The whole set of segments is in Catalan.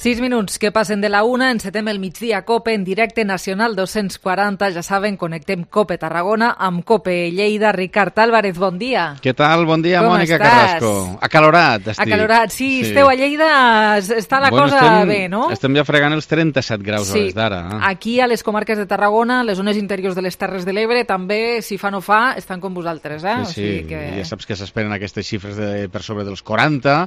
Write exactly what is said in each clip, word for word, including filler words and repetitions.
Sis minuts que passen de la una, encetem el migdia COPE en directe nacional dos-cents quaranta. Ja saben, connectem COPE Tarragona amb COPE Lleida. Ricard Álvarez, bon dia. Què tal? Bon dia, Com Mònica estàs? Carrasco. Acalorat, estic. Acalorat, sí, sí. Esteu a Lleida, està la bueno, cosa estem, bé, no? Estem ja fregant els trenta-set graus sí. a les d'ara. Aquí, a les comarques de Tarragona, les zones interiors de les Terres de l'Ebre, també, si fa no fa, estan com vosaltres, eh? Sí, sí. O sigui que... ja saps que s'esperen aquestes xifres de, per sobre dels quaranta,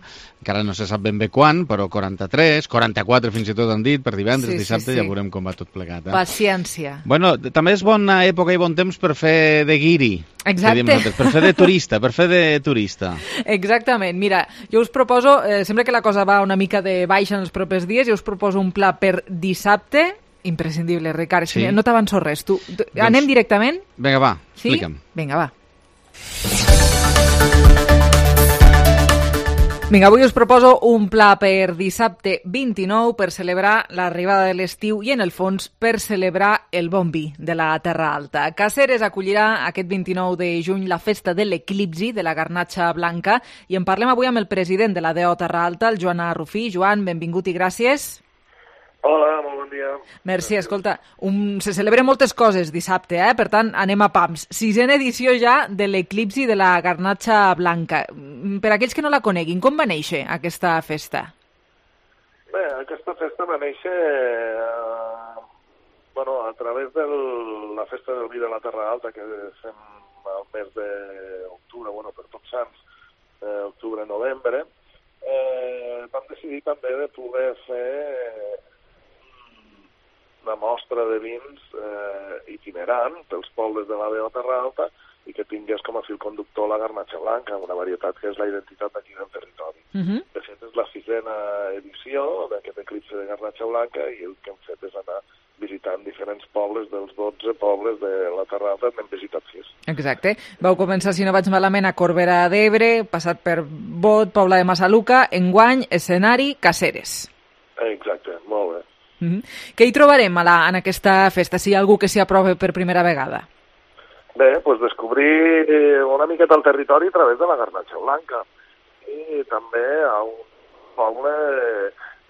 encara no se sap ben bé quan, però quaranta-tres, quaranta-quatre fins i tot han dit, per divendres, sí, dissabte, sí, sí. ja veurem com va tot plegat. Eh? Paciència. Bueno, també és bona època i bon temps per fer de guiri. Exacte. Per fer de turista, per fer de turista. Exactament. Mira, jo us proposo, eh, sembla que la cosa va una mica de baixa en els propers dies, jo us proposo un pla per dissabte, imprescindible, Ricard. Sí. No t'avanço res. Tu, tu, doncs, anem directament? Vinga, va, sí? explica'm. Vinga, va. Vinga, avui us proposo un pla per dissabte vint-i-nou per celebrar l'arribada de l'estiu i, en el fons, per celebrar el bon vi de la Terra Alta. Caceres acollirà aquest vint-i-nou de juny la festa de l'eclipsi de la garnatxa blanca i en parlem avui amb el president de la D O Terra Alta, el Joan Arrufí. Joan, benvingut i gràcies. Hola, molt bon dia. Merci, escolta, un, se celebren moltes coses dissabte, eh? Per tant, anem a pams. Sisena edició ja de l'eclipsi de la garnatxa blanca. Per aquells que no la coneguin, com va néixer aquesta festa? Bé, aquesta festa va néixer eh, bueno, a través de la festa del vi de la Terra Alta, que fem al mes d'octubre, bueno, per tots sants, eh, octubre-novembre. Eh, vam decidir també de poder fer una mostra de vins eh, itinerant pels pobles de la D O Terra Alta i que tingués com a fil conductor la garnatxa blanca, una varietat que és la identitat d'aquí del territori. Uh -huh. De fet, és la sisena edició d'aquest eclipsi de garnatxa blanca i el que hem fet és anar visitant diferents pobles dels dotze pobles de la Terra Alta, n'hem visitat sis. Exacte. Vau començar, si no vaig malament, a Corbera d'Ebre, passat per Bot, Pobla de Massaluca, enguany, escenari, Caceres. Exacte, molt bé. Mm-hmm. Què hi trobarem a la, en aquesta festa, si hi ha algú que s'hi aprova per primera vegada? Bé, doncs descobrir una miqueta el territori a través de la garnatxa blanca. I també a un poble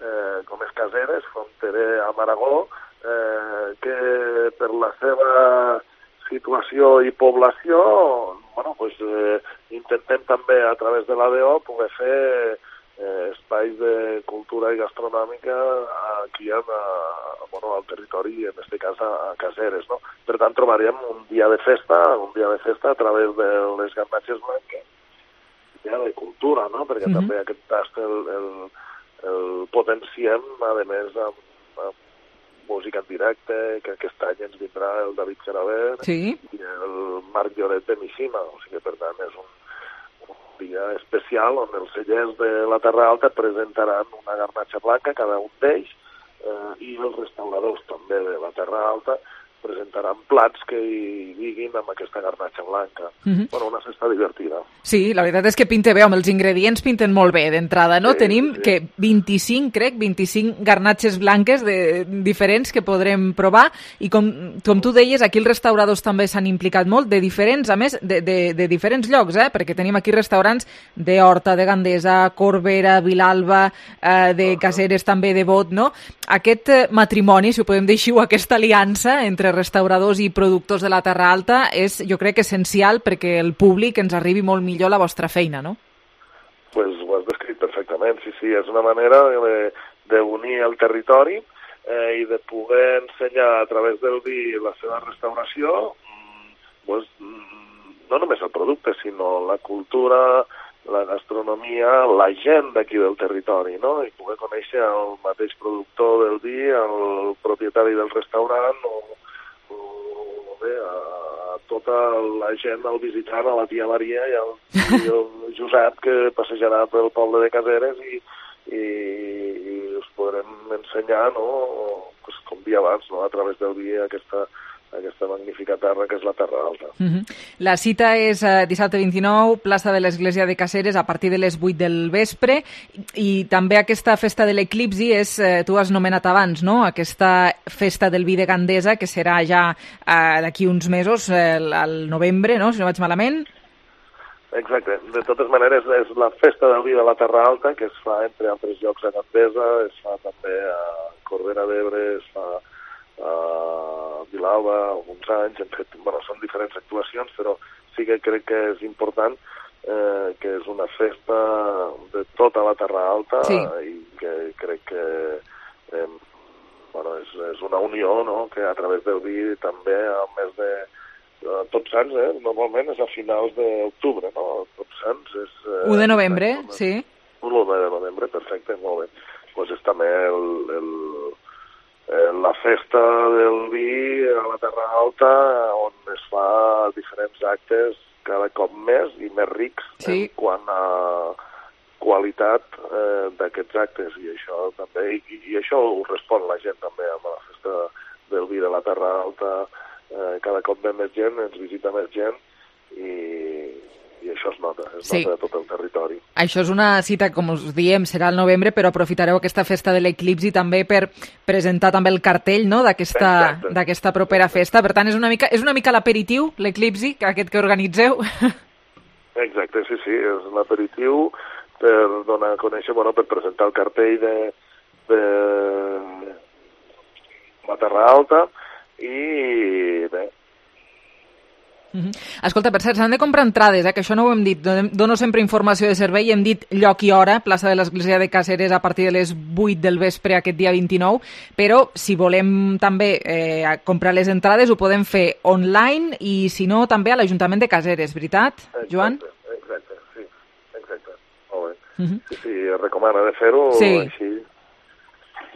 eh, com és Caceres, fronterer amb Aragó, eh, que per la seva situació i població, bueno, doncs, eh, intentem també a través de la D O poder fer Eh, espais de cultura i gastronòmica aquí en, a, bueno, al territori, en aquest cas a, a Caceres, no? Per tant, trobaríem un dia de festa, un dia de festa a través de les garnatxes blanques, dia de cultura, no? Perquè mm-hmm. també aquest tast el, el, el potenciem, a més, amb, amb música en directe, que aquest any ens vindrà el David Gerabert sí. i el Marc Lloret de Mishima, o sigui que, per tant, és un dia especial on els cellers de la Terra Alta presentaran una garnatxa blanca, cada un d'ells, eh, i els restauradors també de la Terra Alta presentaran plats que hi diguin amb aquesta garnatxa blanca. Mm-hmm. Bueno, una festa divertida. Sí, la veritat és que pinta bé, amb els ingredients pinten molt bé d'entrada, no? Sí, Tenim sí. que vint-i-cinc, crec, vint-i-cinc garnatxes blanques de, diferents que podrem provar i com, com tu deies, aquí els restauradors també s'han implicat molt, de diferents, a més, de, de, de diferents llocs, eh? Perquè tenim aquí restaurants d'Horta, de Gandesa, Corbera, Vilalba, eh, de Caceres també, de Bot, no? Aquest eh, matrimoni, si ho podem dir així, o aquesta aliança entre restauradors i productors de la Terra Alta és, jo crec, essencial perquè el públic ens arribi molt millor la vostra feina, no? Pues ho has descrit perfectament, sí, sí, és una manera d'unir el territori eh, i de poder ensenyar a través del vi la seva restauració, pues, no només el producte, sinó la cultura, la gastronomia, la gent d'aquí del territori, no? I poder conèixer el mateix productor del vi, el propietari del restaurant o bé, a tota la gent al visitant, a la tia Maria i el, i el Josep que passejarà pel poble de Caceres i, i, i us podrem ensenyar, no? Pues, com dia abans, no? A través del vi aquesta, aquesta magnífica terra que és la Terra Alta. Mm-hmm. La cita és eh, dissabte vint-i-nou, plaça de l'Església de Caceres, a partir de les vuit del vespre, i també aquesta festa de l'eclipsi és, eh, tu has nomenat abans, no? Aquesta festa del vi de Gandesa, que serà ja eh, d'aquí uns mesos, eh, al novembre, no? Si no vaig malament. Exacte. De totes maneres, és la festa del vi de la Terra Alta, que es fa, entre altres llocs, a Gandesa, es fa també a Corbera d'Ebre, es fa a Vilalba, alguns anys, hem fet, bueno, són diferents actuacions, però sí que crec que és important eh, que és una festa de tota la Terra Alta, sí. I que crec que eh, bueno, és, és una unió, no?, que a través del vi també, al mes de Uh, Tots Sants, eh? Normalment és a finals d'octubre, no? Tots Sants és... Eh, u de novembre, no? Sí. u de novembre, perfecte, molt bé. Doncs pues és també el, el, el, la festa del vi a la Terra Alta, on es fa diferents actes cada cop més i més rics, sí. En quant a qualitat eh, d'aquests actes, i això també, i, i això ho respon la gent també amb la festa del vi de la Terra Alta. Eh, cada cop ve més gent, ens visita més gent i, i això es nota, es sí. Nota a tot el territori. Això és una cita, com us diem, serà al novembre, però aprofitareu aquesta festa de l'eclipsi també per presentar també el cartell, no?, d'aquesta d'aquesta propera festa. Per tant, és una mica, és una mica l'aperitiu, l'eclipsi, aquest que organitzeu. Exacte, sí, sí, és l'aperitiu per donar a conèixer, bueno, per presentar el cartell de, de la Terra Alta. I bé. Mm-hmm. Escolta, per cert, s'han de comprar entrades, eh? Que això no ho hem dit. Dono sempre informació de servei, hem dit lloc i hora, plaça de l'Església de Càceres a partir de les vuit del vespre aquest dia vint-i-nou, però si volem també eh, comprar les entrades ho podem fer online i si no també a l'Ajuntament de Càceres, veritat, Joan? Exacte, exacte, sí, exacte. Molt bé. Mm-hmm. Sí, sí, es recomana de fer-ho, sí. Així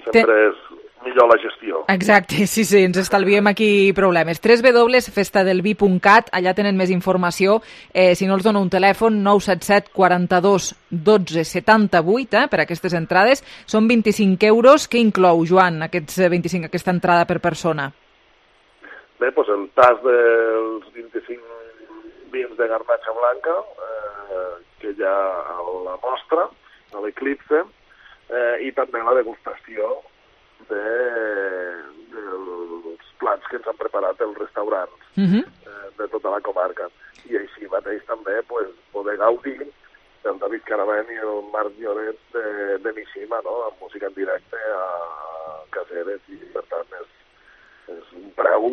sempre Ten... és millor la gestió. Exacte, sí, sí, ens estalviem aquí problemes. w w w punt festa del vi punt cat, allà tenen més informació. Eh, si no els dono un telèfon, nou set set quaranta-dos dotze setanta vuit, eh, per aquestes entrades. Són vint-i-cinc euros. Què inclou, Joan, aquests vint-i-cinc, aquesta entrada per persona? Bé, doncs el tas dels vint-i-cinc vins de garnatxa blanca, eh, que hi ha a la mostra, a l'Eclipse, eh, i també la degustació de, dels plats que ens han preparat els restaurants uh-huh. eh, de tota la comarca. I així mateix també pues, poder gaudir del David Caravent i el Marc Lloret de, de Mishima, no?, amb música en directe a Càceres, i per tant és, és un preu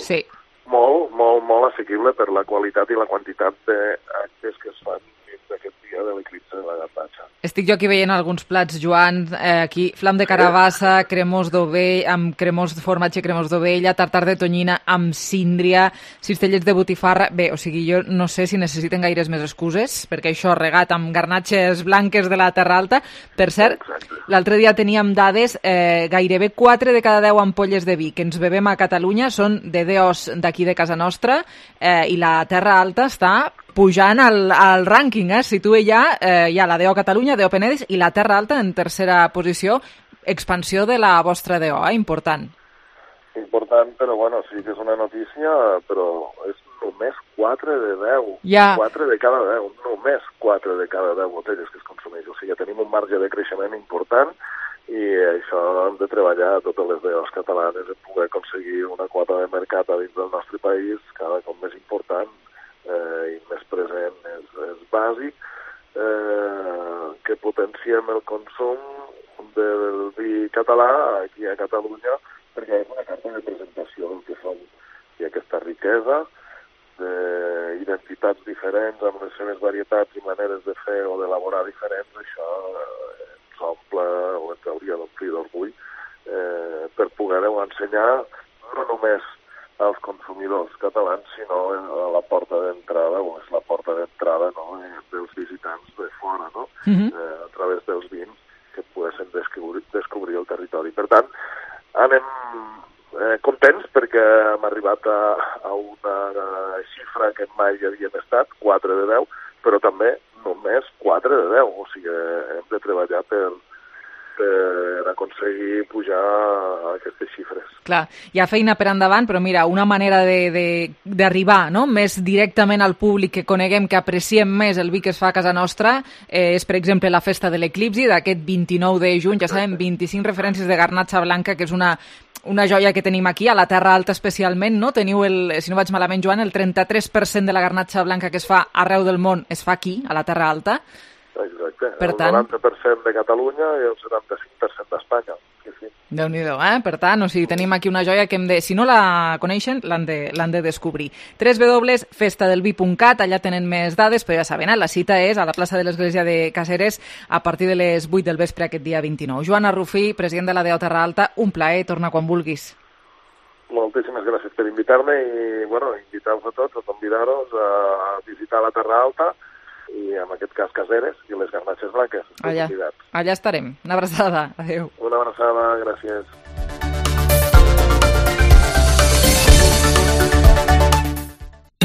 sí. molt, molt, molt assequible per la qualitat i la quantitat d'actes que es fan dins d'aquest dia de l'eclipse de la garnatxa. Estic jo aquí veient alguns plats, Joan, eh, aquí flam de carabassa, cremós d'ovell, amb cremós de formatge, cremós d'ovella, tartar de tonyina amb síndria, cistellets de botifarra. Bé, o sigui, jo no sé si necessiten gaires més excuses, perquè això regat amb garnatxes blanques de la Terra Alta. Per cert, l'altre dia teníem dades, eh, gairebé quatre de cada deu ampolles de vi que ens bevem a Catalunya són de D Os d'aquí de casa nostra, eh, i la Terra Alta està pujant al, al rànquing, eh? Situa ja, eh, ja la D O Catalunya, D O Penedès i la Terra Alta en tercera posició. Expansió de la vostra D O, eh? Important. Important, però bueno, sí que és una notícia, però és només quatre de deu. Ja. quatre de cada deu, només quatre de cada deu botelles que es consumeix. O sigui, tenim un marge de creixement important i això hem de treballar a totes les D Os catalanes en poder aconseguir una quota de mercat a dins del nostre país cada cop més important eh, i més present. És, és bàsic eh, que potenciem el consum del vi català aquí a Catalunya, perquè és una carta de presentació del que som, i aquesta riquesa d'identitats diferents amb les seves varietats i maneres de fer o d'elaborar diferents, això eh, ens omple o ens hauria d'omplir d'orgull eh, per poder-ho ensenyar no només als consumidors catalans, sinó a la porta d'entrada, o és la porta d'entrada, no?, dels visitants de fora, no?, uh-huh. eh, a través dels vins que poguessin descobrir, descobrir el territori. Per tant, anem eh, contents perquè hem arribat a, a una xifra que mai havíem estat, quatre de deu, però també només quatre de deu, o sigui, hem de treballar per, per aconseguir pujar a aquestes xifres. Clar, hi ha feina per endavant, però mira, una manera d'arribar, no?, més directament al públic, que coneguem, que apreciem més el vi que es fa a casa nostra, eh, és, per exemple, la festa de l'eclipsi d'aquest vint-i-nou de juny. Ja sabem, vint-i-cinc referències de garnatxa blanca, que és una una joia que tenim aquí, a la Terra Alta especialment, no? Teniu, el, si no vaig malament, Joan, el trenta-tres per cent de la garnatxa blanca que es fa arreu del món es fa aquí, a la Terra Alta. Exacte, per el tant... noranta per cent de Catalunya i el setanta-cinc per cent d'Espanya. Sí, sí. Déu-n'hi-do, eh? Per tant, o sigui, tenim aquí una joia que hem de... Si no la coneixen, l'han de, l'han de descobrir. w w w punt festa del vi punt cat, allà tenen més dades, però ja saben, eh? La cita és a la plaça de l'Església de Caceres a partir de les vuit del vespre aquest dia vint-i-nou. Joan Arrufí, president de la D O Terra Alta, un plaer, torna quan vulguis. Moltíssimes gràcies per invitar-me i, bueno, invitar-vos a tots, a convidar-vos a visitar la Terra Alta i, en aquest cas, Caceres i les garnatxes blanques. Allà, allà estarem. Una abraçada. Adéu. Una abraçada, gràcies.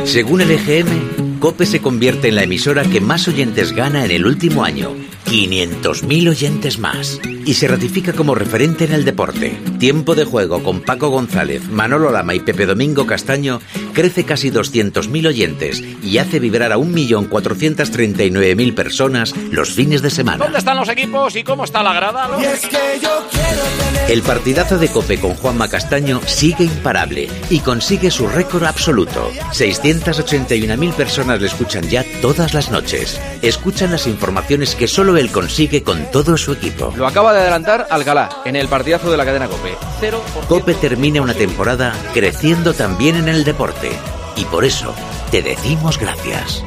Según el E G M, COPE se convierte en la emisora que más oyentes gana en el último año. quinientos mil oyentes más. Y se ratifica como referente en el deporte. Tiempo de Juego con Paco González, Manolo Lama y Pepe Domingo Castaño crece casi doscientos mil oyentes y hace vibrar a un millón cuatrocientos treinta y nueve mil personas los fines de semana. ¿Dónde están los equipos y cómo está la grada? ¿No? Y es que yo quiero tener... El partidazo de COPE con Juanma Castaño sigue imparable y consigue su récord absoluto. seiscientas ochenta y una mil personas le escuchan ya todas las noches. Escuchan las informaciones que solo él consigue con todo su equipo. Lo acaba de adelantar Alcalá en el partidazo de la cadena COPE. Cero por ciento. COPE termina una temporada creciendo también en el deporte. Y por eso te decimos gracias.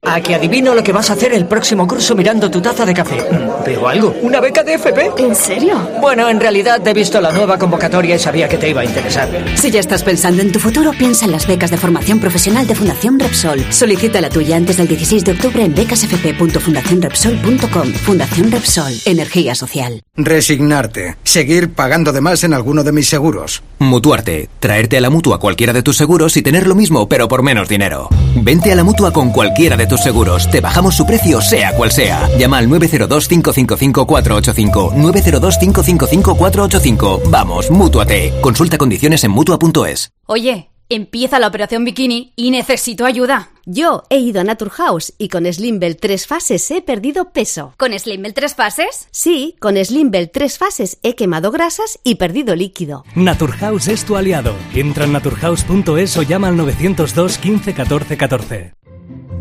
A que adivino lo que vas a hacer el próximo curso mirando tu taza de café. ¿Veo algo? ¿Una beca de F P? ¿En serio? Bueno, en realidad he visto la nueva convocatoria y sabía que te iba a interesar. Si ya estás pensando en tu futuro, piensa en las becas de formación profesional de Fundación Repsol. Solicita la tuya antes del dieciséis de octubre en becas f p punto fundación repsol punto com. Fundación Repsol. Energía social. Resignarte. Seguir pagando de más en alguno de mis seguros. Mutuarte. Traerte a la Mutua cualquiera de tus seguros y tener lo mismo, pero por menos dinero. Vente a la Mutua con cualquiera de tus seguros. Te bajamos su precio, sea cual sea. Llama al nueve cero dos, cinco cinco cinco, cuatro ocho cinco. nueve cero dos, cinco cinco cinco, cuatro ocho cinco. Vamos, Mútuate. Consulta condiciones en mutua punto es. Oye, empieza la operación bikini y necesito ayuda. Yo he ido a Naturhaus y con Slimbel tres fases he perdido peso. ¿Con Slimbel tres fases? Sí, con Slimbel tres fases he quemado grasas y perdido líquido. Naturhaus es tu aliado. Entra en naturhaus punto es o llama al nueve cero dos, quince, catorce, catorce.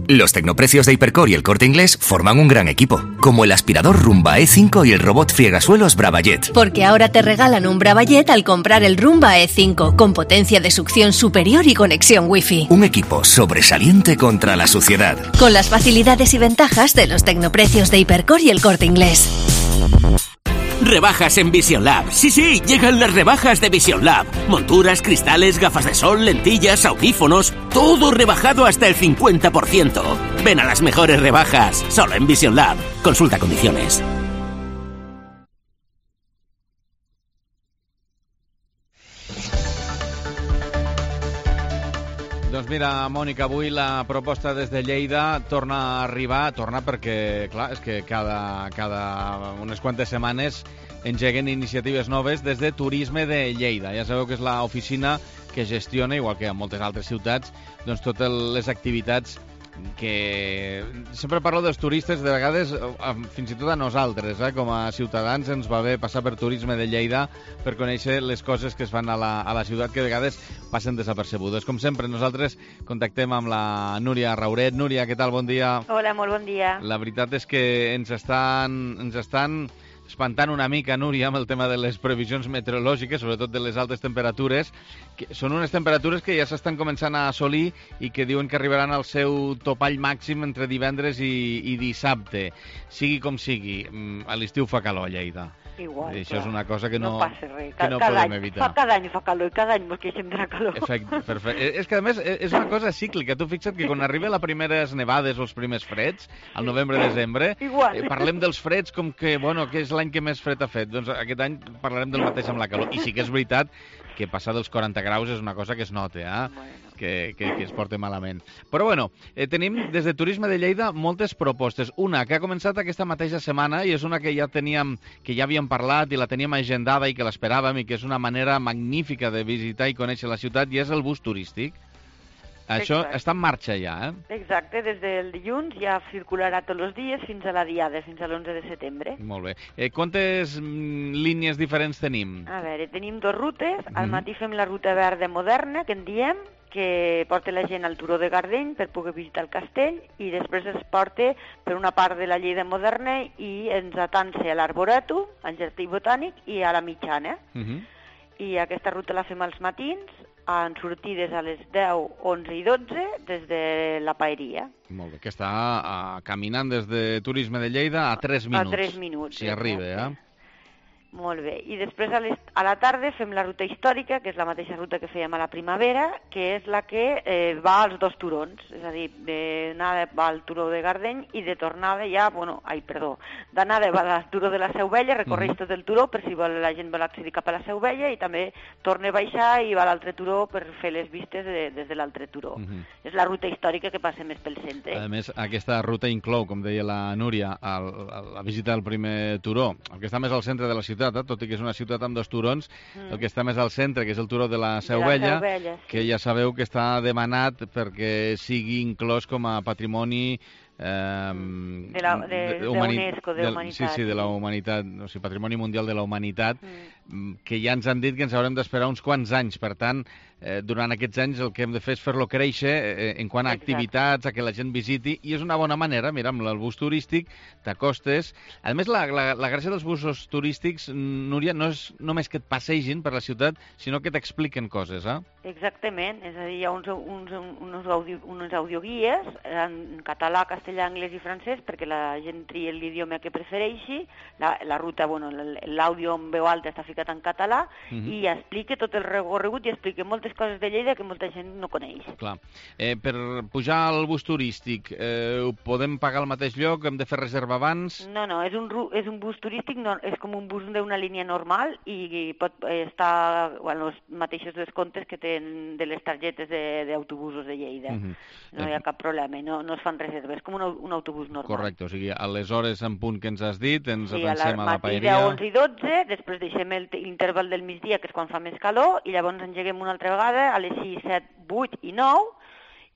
Los tecnoprecios de Hipercor y El Corte Inglés forman un gran equipo, como el aspirador Rumba E cinco y el robot friegasuelos Bravajet. Porque ahora te regalan un Bravajet al comprar el Rumba E cinco, con potencia de succión superior y conexión Wi-Fi. Un equipo sobresaliente contra la suciedad. Con las facilidades y ventajas de los tecnoprecios de Hipercor y El Corte Inglés. Rebajas en Vision Lab. Sí, sí, llegan las rebajas de Vision Lab. Monturas, cristales, gafas de sol, lentillas, audífonos, todo rebajado hasta el cincuenta por ciento. Ven a las mejores rebajas, solo en Vision Lab. Consulta condiciones. Doncs mira, Mònica, avui la proposta des de Lleida torna a arribar, torna perquè, clar, és que cada, cada unes quantes setmanes engeguen iniciatives noves des de Turisme de Lleida. Ja sabeu que és l'oficina que gestiona, igual que en moltes altres ciutats, doncs totes les activitats que... Sempre parlo dels turistes, de vegades, fins i tot a nosaltres, eh? Com a ciutadans, ens va bé passar per Turisme de Lleida per conèixer les coses que es fan a la, a la ciutat que a vegades passen desapercebudes. Com sempre, nosaltres contactem amb la Núria Rauret. Núria, què tal? Bon dia. Hola, molt bon dia. La veritat és que ens estan, ens estan espantant una mica, Núria, amb el tema de les previsions meteorològiques, sobretot de les altes temperatures, que són unes temperatures que ja s'estan començant a assolir i que diuen que arribaran al seu topall màxim entre divendres i, i dissabte. Sigui com sigui, a l'estiu fa calor a Lleida. Igual, I això clar. és una cosa que no, no passa res. Que no cada podem any, evitar. Fa cada any fa calor i cada any ens queixem de la calor. Perfecte, perfecte. És que a més és una cosa cíclica. Tu fixa't que quan arriba les primeres nevades o els primers freds, al novembre-desembre, eh, parlem dels freds com que, bueno, que és l'any que més fred ha fet. Doncs aquest any parlarem del mateix amb la calor. I sí que és veritat que passar dels quaranta graus és una cosa que es nota, eh? que, que, que es porta malament. Però bueno, eh, tenim des de Turisme de Lleida moltes propostes. Una que ha començat aquesta mateixa setmana i és una que ja teníem, que ja havíem parlat i la teníem agendada i que l'esperàvem i que és una manera magnífica de visitar i conèixer la ciutat i és el bus turístic. Això Exacte. està en marxa ja, eh? Exacte, des del dilluns ja circularà tots els dies fins a la diada, fins a l'onze de setembre. Molt bé. Eh, quantes mm, línies diferents tenim? A veure, tenim dues rutes. Al Mhm. matí fem la ruta verda moderna, que en diem, que porta la gent al turó de Gardeny per poder visitar el castell, i després es porta per una part de la Lleida moderna i ens atança a l'Arboretum, al Jardí Botànic i a la Mitjana. Uh -huh. I aquesta ruta la fem als matins, en sortides a les deu, onze i dotze des de la Paeria. Molt bé, que està uh, caminant des de Turisme de Lleida a tres minuts. A tres minuts. Si arriba, eh? Molt bé. I després a, les, a la tarda fem la ruta històrica, que és la mateixa ruta que fèiem a la primavera, que és la que eh, va als dos turons. És a dir, d'anada va al turó de Gardeny i de tornada ja, bueno, ai, perdó, d'anada va al turó de la Seu Vella, recorreix Mhm. tot el turó per si vol, la gent vol accedir cap a la Seu Vella, i també torna a baixar i va a l'altre turó per fer les vistes de, des de l'altre turó. Mhm. És la ruta històrica que passa més pel centre. A més, aquesta ruta inclou, com deia la Núria, el, el, la visita del primer turó, el que està més al centre de la ciutat, eh? Tot i que és una ciutat amb dos turons, Mm. el que està més al centre, que és el turó de la Seu De la Vella, Seu Vella, sí. que ja sabeu que està demanat perquè sigui inclòs com a patrimoni eh, De la- de- de humani- UNESCO, de del- humanitat, Sí, sí, de la sí. humanitat, o sigui, Patrimoni Mundial de la Humanitat, mm. que ja ens han dit que ens haurem d'esperar uns quants anys. Per tant, eh, durant aquests anys el que hem de fer és fer-lo créixer eh, en quant a Exacte. activitats, a que la gent visiti, i és una bona manera, mira, amb el bus turístic t'acostes. A més, la, la, la gràcia dels busos turístics, Núria, no és només que et passegin per la ciutat, sinó que t'expliquen coses, eh? Exactament, és a dir, hi ha uns, uns, uns, audio, uns audioguies en català, castellà, anglès i francès perquè la gent tria l'idioma que prefereixi. La, la ruta, bueno, l'àudio en veu alta està ficat en català Mhm. i explica tot el recorregut i explica moltes coses de Lleida que molta gent no coneix. Clar. Eh, per pujar al bus turístic, eh, ho podem pagar al mateix lloc? Hem de fer reserva abans? No, no, és un, ru- és un bus turístic, no, és com un bus d'una línia normal i pot estar bueno, els mateixos descomptes que tenen de les targetes de- d'autobusos de, de Lleida. Mhm. No hi ha cap problema, no, no es fan reserves, com un, au- un autobús normal. Correcte, o sigui, a les hores en punt que ens has dit, ens Sí, a la avancem a la matí de paeria. onze i dotze, després deixem el- l'interval del migdia, que és quan fa més calor, i llavors engeguem una altra vegada a les sis, set, vuit i nou,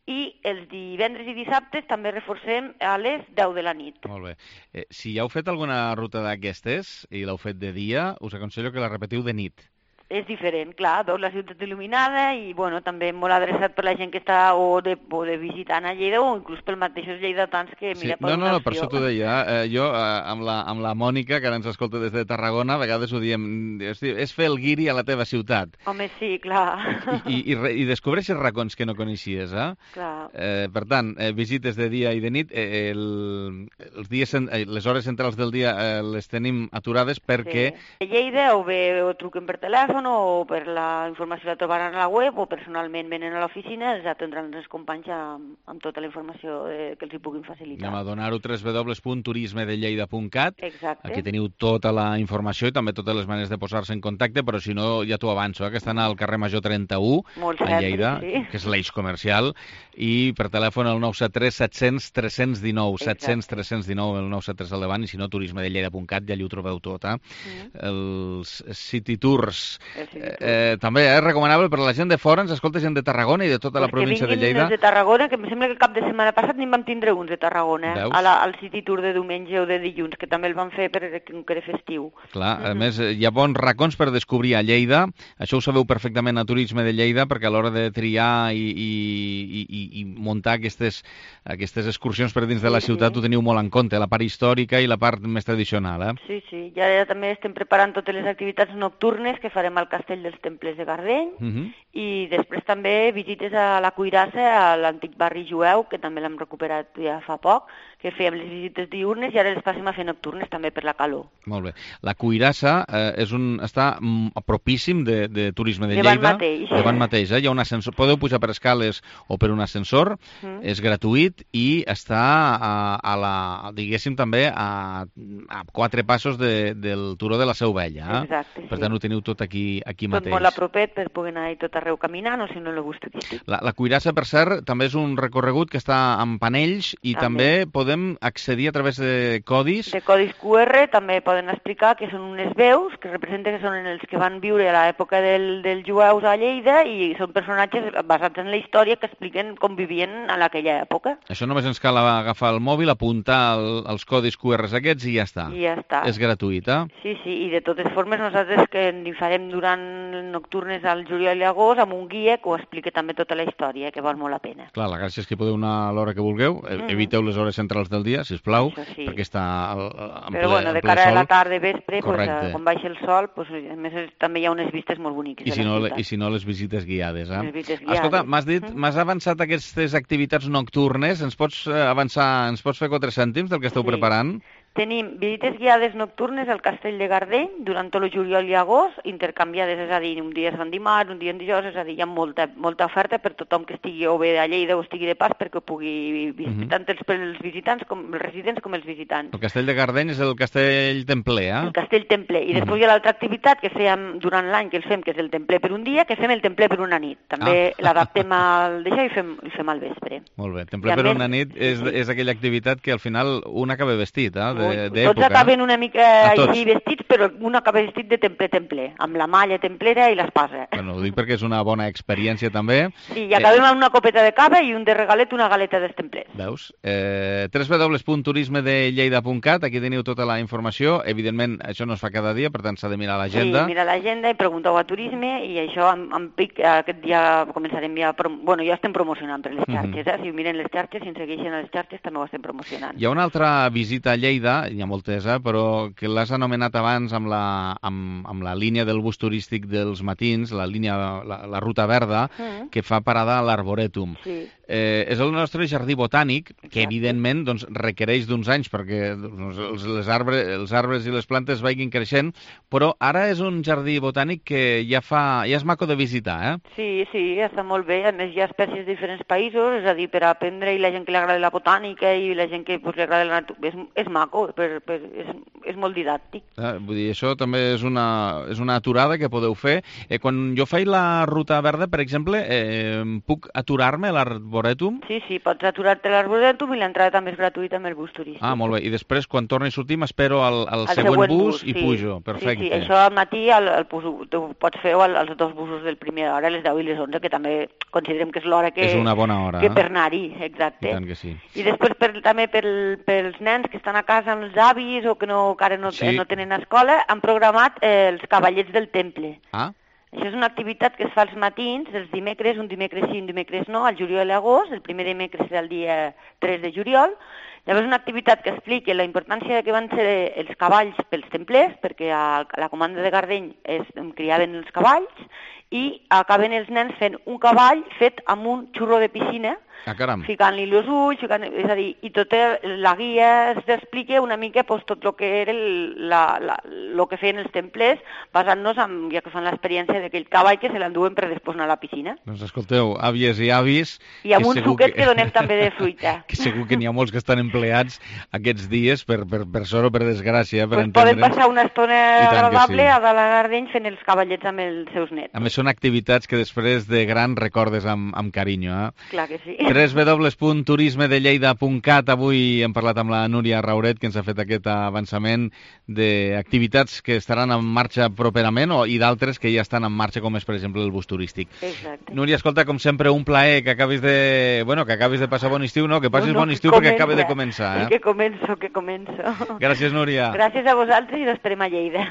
i els divendres i dissabtes també reforcem a les deu de la nit. Molt bé. Eh, si ja heu fet alguna ruta d'aquestes i l'heu fet de dia, us aconsello que la repetiu de nit. És diferent, clar, veus la ciutat il·luminada i, bueno, també molt adreçat per la gent que està o de, o de visitant a Lleida o inclús per mateixos lleidatans que, Sí, mira, no, no, no, per opció. això t'ho deia. Eh, jo, eh, amb, la, amb la Mònica, que ara ens escolta des de Tarragona, a vegades ho diem, hosti, és fer el guiri a la teva ciutat. Home, sí, clar. I, i, re- i descobreixes racons que no coneixies, eh? Clar. Eh, per tant, eh, visites de dia i de nit, eh, el, els dies, cen- eh, les hores centrals del dia eh, les tenim aturades perquè... Sí. A Lleida o bé o truquen per telèfon o per la informació la trobaran a la web o personalment venen a l'oficina, els atendran els companys amb, amb tota la informació eh, que els hi puguin facilitar. Anem a donar-ho w w w punt turisme de lleida punt cat. Exacte. Aquí teniu tota la informació i també totes les maneres de posar-se en contacte, però si no, ja t'ho avanço, eh, que estan al carrer Major trenta-u, Molt a cert, Lleida, sí. que és l'eix comercial, i per telèfon el nou set tres set cents tres cents dinou, set cents tres cents dinou, el nou set tres al davant, i si no, turisme de lleida punt cat, ja allà ho trobeu tot, eh? Mm. Els City Tours. El City Tours. Eh, també és recomanable per a la gent de fora, ens escolta gent de Tarragona i de tota la Pues província que de vinguin Lleida. els de Tarragona, que em sembla que el cap de setmana passat ni en vam tindre uns de Tarragona, Veus? a la, al City Tour de diumenge o de dilluns, que també el van fer per que era festiu. Clar, a més, hi ha bons racons per descobrir a Lleida. Això ho sabeu perfectament a Turisme de Lleida, perquè a l'hora de triar i, i, i, i muntar aquestes, aquestes excursions per dins de la Sí, ciutat sí. ho teniu molt en compte, la part històrica i la part més tradicional, eh? Sí, sí, ja, ja també estem preparant totes les activitats nocturnes que farem al Castell dels Temples de Gardeny, Uh -huh. i després també visites a la Cuirassa, a l'antic barri jueu, que també l'hem recuperat ja fa poc, que fèiem les visites diurnes i ara les passem a fer nocturnes també per la calor. Molt bé. La Cuirassa eh, és un, està mm, propíssim de, de Turisme de Davant Lleida. mateix. Davant mateix. Eh? Hi ha un ascensor. Podeu pujar per escales o per un ascensor. Mm. És gratuït i està a, a la, diguéssim, també a, a quatre passos de, del turó de la Seu Vella. Eh? Exacte, Per sí. tant, ho teniu tot aquí, aquí Tot mateix. molt a propet per poder anar tot arreu caminant o si no el bus turístic. La, la Cuirassa, per cert, també és un recorregut que està amb panells i També. també podem podem accedir a través de codis. De codis Q R, també poden explicar que són unes veus que representen que són els que van viure a l'època del, dels jueus a Lleida i són personatges basats en la història que expliquen com vivien en aquella època. Això només ens cal agafar el mòbil, apuntar el, els codis Q R aquests i ja està. I ja està. És gratuït, eh? Sí, sí, i de totes formes nosaltres que en farem durant nocturnes al juliol i agost amb un guia que ho explica també tota la història, que val molt la pena. Clar, la gràcia és que podeu anar a l'hora que vulgueu, mm. eviteu les hores centrals del dia, sisplau, sí. perquè està al, en Però ple, bueno, de ple cara sol. a la tarda, vespre, pues, Correcte. quan baixa el sol, pues, a més també hi ha unes vistes molt boniques. I si, no, I si no, les visites guiades, eh? Les visites guiades. Escolta, m'has dit, m'has avançat aquestes activitats nocturnes, ens pots avançar, ens pots fer quatre cèntims del que esteu Sí. preparant? Tenim visites guiades nocturnes al Castell de Gardeny durant tot el juliol i agost, intercanviades, és a dir, un dia es fan dimarts, un dia en dijous, és a dir, hi ha molta, molta oferta per tothom que estigui o bé a Lleida o estigui de pas perquè pugui visitar, tant els, els visitants, com els residents com els visitants. El Castell de Gardeny és el Castell Templer, eh? El Castell Templer. I després hi ha l'altra activitat que fèiem durant l'any, que el fem, que és el Templer per un dia, que fem el Templer per una nit. També ah. l'adaptem al d'això i fem, i fem al vespre. Molt bé. Templer per més... una nit és, és aquella activitat que al final un acaba vestit, eh? De, de Tots acaben una mica així vestits, però un acaba vestit de templer-templer, amb la malla templera i l'espasa. Bueno, ho dic perquè és una bona experiència també. Sí, i acabem amb una copeta de cava i un de regalet, una galeta dels templers. Veus? Eh, w w w punt turisme de lleida punt cat, aquí teniu tota la informació. Evidentment, això no es fa cada dia, per tant s'ha de mirar l'agenda. Sí, mira l'agenda i pregunteu a Turisme i això amb, amb pic, aquest dia començarem ja... Prom... Bueno, ja estem promocionant per les xarxes, eh? Si miren les xarxes, si ens segueixen a les xarxes, també ho estem promocionant. Hi ha una altra visita a Lleida, hi ha moltes, eh? Però que l'has anomenat abans amb la, amb, amb la línia del bus turístic dels matins, la línia, la, la ruta verda, mm. que fa parada a l'Arborètum. Sí. Eh, és el nostre jardí botànic, que Exacte. evidentment doncs, requereix d'uns anys perquè doncs, els, les arbres, els arbres i les plantes vagin creixent, però ara és un jardí botànic que ja fa ja és maco de visitar, eh? Sí, sí, està molt bé. A més, hi ha espècies de diferents països, és a dir, per aprendre, i la gent que li agrada la botànica i la gent que pues, li agrada la natura, és, és maco, per, per, és, és molt didàctic. Eh, vull dir, això també és una, és una aturada que podeu fer. Eh, quan jo faig la ruta verda, per exemple, eh, puc aturar-me a l'Arborètum? Sí, sí, pots aturar-te a l'Arborètum i l'entrada també és gratuïta amb el bus turístic. Ah, molt bé. I després, quan torni a sortir, m'espero al, al següent, següent bus, bus i sí. pujo. Perfecte. Sí, sí, això al matí el, el, el, el pots fer als dos busos del primer hora, a les deu i les onze, que també considerem que és l'hora que... És una bona hora. Que per anar-hi, exacte. I tant que sí. I després per, també per, pels nens que estan a casa amb els avis o que no, encara no, sí. no tenen escola, han programat eh, els cavallets del temple. Ah. Això és una activitat que es fa als matins, els dimecres, un dimecres sí, un dimecres no, al juliol i agost, el primer dimecres serà el dia tres de juliol. Llavors una activitat que explica la importància que van ser els cavalls pels templers, perquè a la comanda de Gardeny es criaven els cavalls, i acaben els nens fent un cavall fet amb un xurro de piscina, ah, ficant-li els ulls, ficant, és a dir, i tota la guia s'explica una mica pues, tot el que era el, la, la, lo que feien els templers, basant-nos en, ja que fan l'experiència d'aquell cavall que se l'enduen per després anar a la piscina. Doncs escolteu, àvies i avis... I amb un suquet que... que donem també de fruita. Que segur que n'hi ha molts que estan empleats aquests dies, per, per, per sort o per desgràcia, per pues entendre'ns. Poden passar una estona agradable sí. a la Gardeny fent els cavallets amb els seus nets. A més, són activitats que després de gran recordes amb, amb carinyo, eh? Clar que sí. w w w punt turisme de lleida punt cat. Avui hem parlat amb la Núria Rauret, que ens ha fet aquest avançament d'activitats que estaran en marxa properament o, i d'altres que ja estan en marxa, com és, per exemple, el bus turístic. Exacte. Núria, escolta, com sempre, un plaer que acabis de, bueno, que acabis de passar bon estiu, no? Que passis no, no, bon estiu perquè acaba de començar, eh? Que començo, que començo. Gràcies, Núria. Gràcies a vosaltres i l'esperem a Lleida.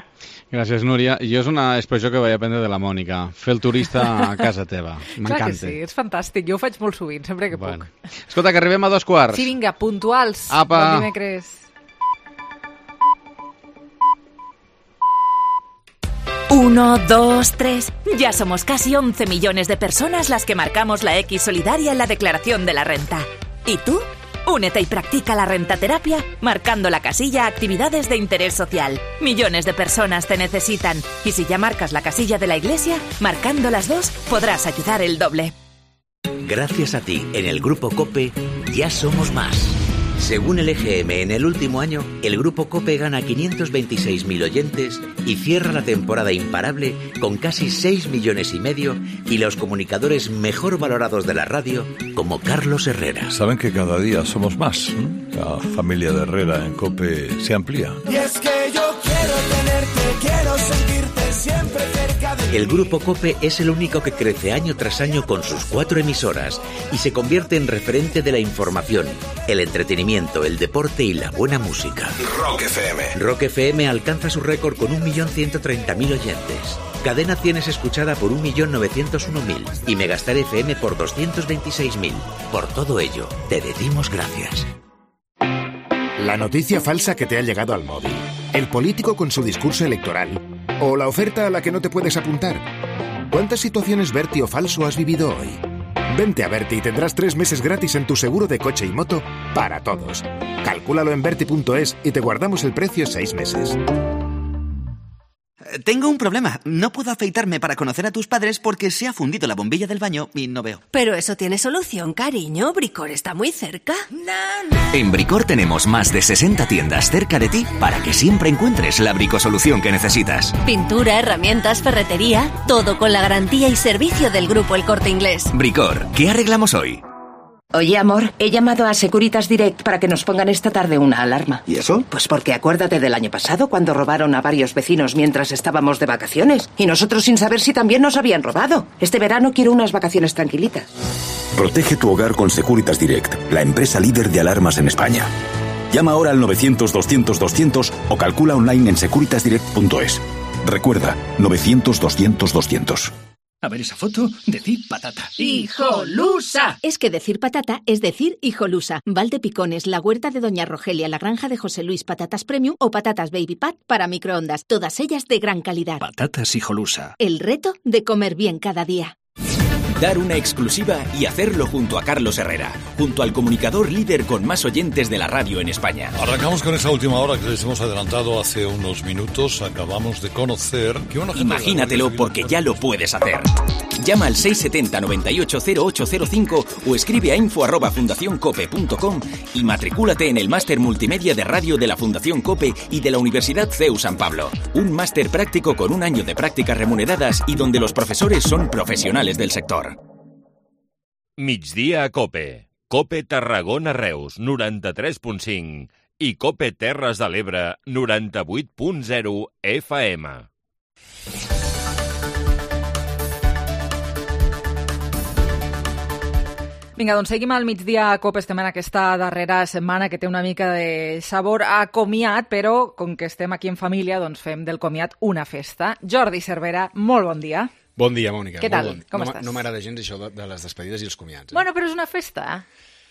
Gràcies, Núria. Jo és una expressió que vaig aprendre de la Mònica. Fer el turista a casa teva. M'encanta. Clar que sí, és fantàstic. Jo ho faig molt sovint, sempre que bueno. puc. Escolta, que arribem a dos quarts. Sí, vinga, puntuals. Apa. Bon dimecres. Uno, dos, tres. Ya somos casi once millones de personas las que marcamos la X solidaria en la declaración de la renta. ¿Y tú? Únete y practica la rentaterapia marcando la casilla Actividades de Interés Social. Millones de personas te necesitan. Y si ya marcas la casilla de la Iglesia, marcando las dos, podrás ayudar el doble. Gracias a ti, en el Grupo COPE, ya somos más. Según el E G M, en el último año, el Grupo COPE gana quinientos veintiséis mil oyentes y cierra la temporada imparable con casi seis millones y medio y los comunicadores mejor valorados de la radio, como Carlos Herrera. Saben que cada día somos más. ¿eh? La familia de Herrera en COPE se amplía. Y es que yo quiero tenerte, quiero sentirte siempre cerca de mí. El Grupo COPE es el único que crece año tras año con sus cuatro emisoras y se convierte en referente de la información, el entretenimiento, el deporte y la buena música. Rock F M. Rock F M alcanza su récord con un millón ciento treinta mil oyentes. Cadena cien es escuchada por un millón novecientos uno mil y Megastar F M por doscientos veintiséis mil. Por todo ello, te decimos gracias. La noticia falsa que te ha llegado al móvil, el político con su discurso electoral o la oferta a la que no te puedes apuntar. ¿Cuántas situaciones Berti o falso has vivido hoy? Vente a Berti y tendrás tres meses gratis en tu seguro de coche y moto para todos. Calcúlalo en Berti punto es y te guardamos el precio seis meses. Tengo un problema. No puedo afeitarme para conocer a tus padres porque se ha fundido la bombilla del baño y no veo. Pero eso tiene solución, cariño. Bricor está muy cerca. En Bricor tenemos más de sesenta tiendas cerca de ti para que siempre encuentres la bricosolución que necesitas. Pintura, herramientas, ferretería, todo con la garantía y servicio del Grupo El Corte Inglés. Bricor, ¿qué arreglamos hoy? Oye, amor, he llamado a Securitas Direct para que nos pongan esta tarde una alarma. ¿Y eso? Pues porque acuérdate del año pasado cuando robaron a varios vecinos mientras estábamos de vacaciones. Y nosotros sin saber si también nos habían robado. Este verano quiero unas vacaciones tranquilitas. Protege tu hogar con Securitas Direct, la empresa líder de alarmas en España. Llama ahora al novecientos doscientos doscientos o calcula online en securitas direct punto es. Recuerda, novecientos doscientos doscientos. A ver esa foto, decir patata. ¡Hijolusa! Es que decir patata es decir hijolusa. Valdepicones, la huerta de Doña Rogelia, la granja de José Luis, patatas premium o patatas baby pat para microondas. Todas ellas de gran calidad. Patatas hijolusa. El reto de comer bien cada día. Dar una exclusiva y hacerlo junto a Carlos Herrera, junto al comunicador líder con más oyentes de la radio en España. Arrancamos con esa última hora que les hemos adelantado hace unos minutos. Acabamos de conocer que una gente... Imagínatelo porque ya lo puedes hacer. Llama al seis siete cero, nueve ocho cero ocho cero cinco o escribe a info arroba fundación cope punto com y matricúlate en el máster multimedia de radio de la Fundación COPE y de la Universidad C E U San Pablo. Un máster práctico con un año de prácticas remuneradas y donde los profesores son profesionales del sector. Migdia a COPE. COPE Tarragona Reus, noranta-tres punt cinc i COPE Terres de l'Ebre, noranta-vuit punt zero F M. Vinga, doncs seguim al migdia a COPE. Estem en aquesta darrera setmana que té una mica de sabor a comiat, però com que estem aquí en família, doncs fem del comiat una festa. Jordi Cervera, molt bon dia. Bon dia, Mònica. Què tal? Bon Com no, estàs? No m'agrada gens això de, de les despedides i els comiats. Eh? Bueno, però és una festa.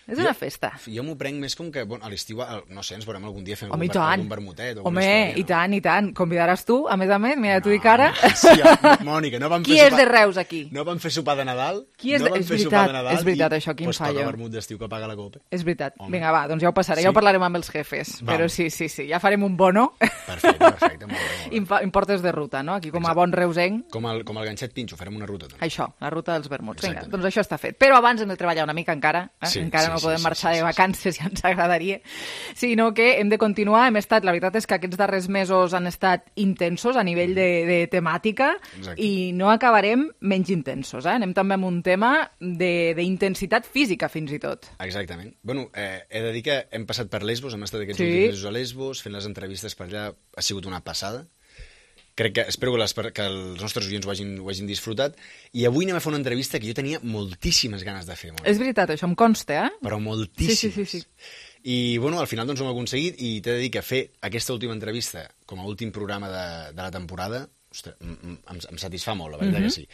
És jo, una festa. Jo m'ho prenc més com que bueno, a l'estiu, no sé, ens veurem algun dia fent Home, algun, tant. algun vermutet o Home, alguna història. i tant, i tant. Convidaràs tu, a més a més, mira, no, tu i cara. Sí, ja, Mònica, no vam Qui fer és sopar... de Reus, aquí? No vam fer sopar de Nadal. Qui és no de... vam És fer veritat, sopar de Nadal és veritat, i, això, quin pues, fallo. Pues toca vermut d'estiu que paga la COPE. És veritat. Home. Vinga, va, doncs ja ho passaré. Sí? Ja ho parlarem amb els jefes. Vam. Però sí, sí, sí, ja farem un bono. Perfecte, perfecte, molt bé. Molt bé. Imp importes de ruta, no? Aquí com a bon reusenc. Com el, com el ganxet pinxo, farem una ruta. També. Això, la ruta dels vermuts. Vinga, doncs això està fet. Però abans hem de treballar una mica encara. Eh? Sí, encara sí, no sí, podem sí, marxar sí, sí, de vacances, ja ens agradaria. Sinó que hem de continuar. Hem estat, la veritat és que aquests darrers mesos han estat intensos a nivell de, de temàtica. Exacte. I no acabarem menys intensos. Eh? Anem també amb un tema d'intensitat física, fins i tot. Exactament. Bueno, eh, he de dir que hem passat per Lesbos, hem estat aquests sí. últims mesos a Lesbos, fent les entrevistes per allà, ha sigut una passada. Crec que, espero que, les, que els nostres oients ho hagin, ho hagin disfrutat. I avui anem a fer una entrevista que jo tenia moltíssimes ganes de fer. Molt. És veritat, això em consta, eh? Però moltíssimes. Sí, sí, sí, sí. I, bueno, al final doncs ho hem aconseguit i t'he de dir que fer aquesta última entrevista com a últim programa de, de la temporada, ostres, em, em satisfà molt, la veritat mm -hmm. que sí.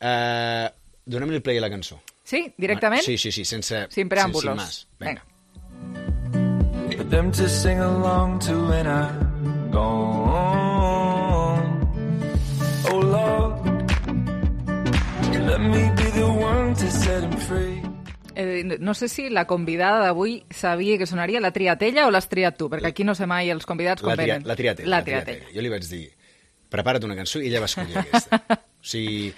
Uh, Donem-li el play a la cançó. Sí, directament? Sí, sí, sí, sense... Sin preàmbulos. Sin más. Vinga. For them to sing along to when I'm gone. Oh Lord, let me be the one to set him free. Eh, no sé si la convidada d'avui sabia que sonaria la triatella o l'has triat tu, perquè aquí no sé mai els convidats com la tria, venen. La triatella. La la triatella. triatella. Jo li vaig dir, prepara't una cançó i ella va escollir aquesta. O sigui,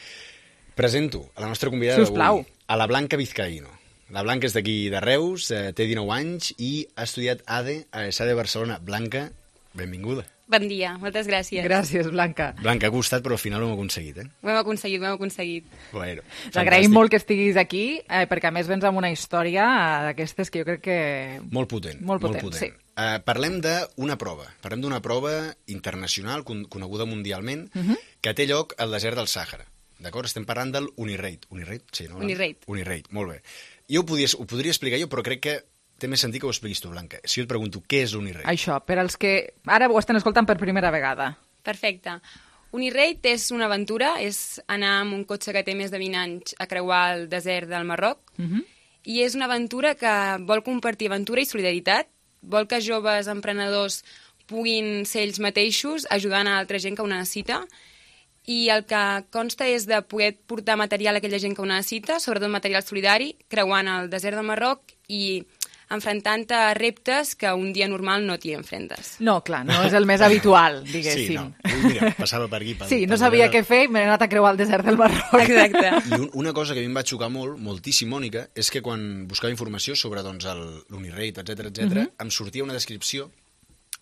presento a la nostra convidada d'avui, a la Blanca Vizcaíno. La Blanca és d'aquí de Reus, eh, té dinou anys i ha estudiat A D a l'E S A de Barcelona. Blanca, benvinguda. Bon dia, moltes gràcies. Gràcies, Blanca. Blanca, ha costat, però al final ho hem aconseguit, eh? Ho hem aconseguit, ho hem aconseguit. Bueno, t'agraïm molt que estiguis aquí, eh, perquè a més vens amb una història d'aquestes que jo crec que... Molt potent. Molt potent, molt potent. sí. Uh, parlem d'una prova. Parlem d'una prova internacional, con coneguda mundialment, uh -huh. que té lloc al desert del Sàhara. D'acord? Estem parlant del Unirate. Unirate? Sí, no? Unirate. Unirate, molt bé. Jo ho, podies, ho podria explicar jo, però crec que té més sentit que ho expliquis tu, Blanca. Si jo et pregunto, què és l'Unirate? Això, per als que ara ho estan escoltant per primera vegada. Perfecte. Unirate és una aventura, és anar amb un cotxe que té més de vint anys a creuar el desert del Marroc, uh -huh. i és una aventura que vol compartir aventura i solidaritat, vol que joves emprenedors puguin ser ells mateixos ajudant a altra gent que ho necessita, i el que consta és de poder portar material a aquella gent que ho necessita, sobretot material solidari, creuant el desert del Marroc i enfrontant-te a reptes que un dia normal no t'hi enfrentes. No, clar, no és el més habitual, diguéssim. Sí, no. Mira, passava per aquí. Pel, sí, no sabia què fer i m'he anat a creuar el desert del Marroc. Exacte. I un, una cosa que a mi em va xocar molt, moltíssim, Mònica, és que quan buscava informació sobre doncs, l'Unirate, etcètera, etcètera, uh -huh. em sortia una descripció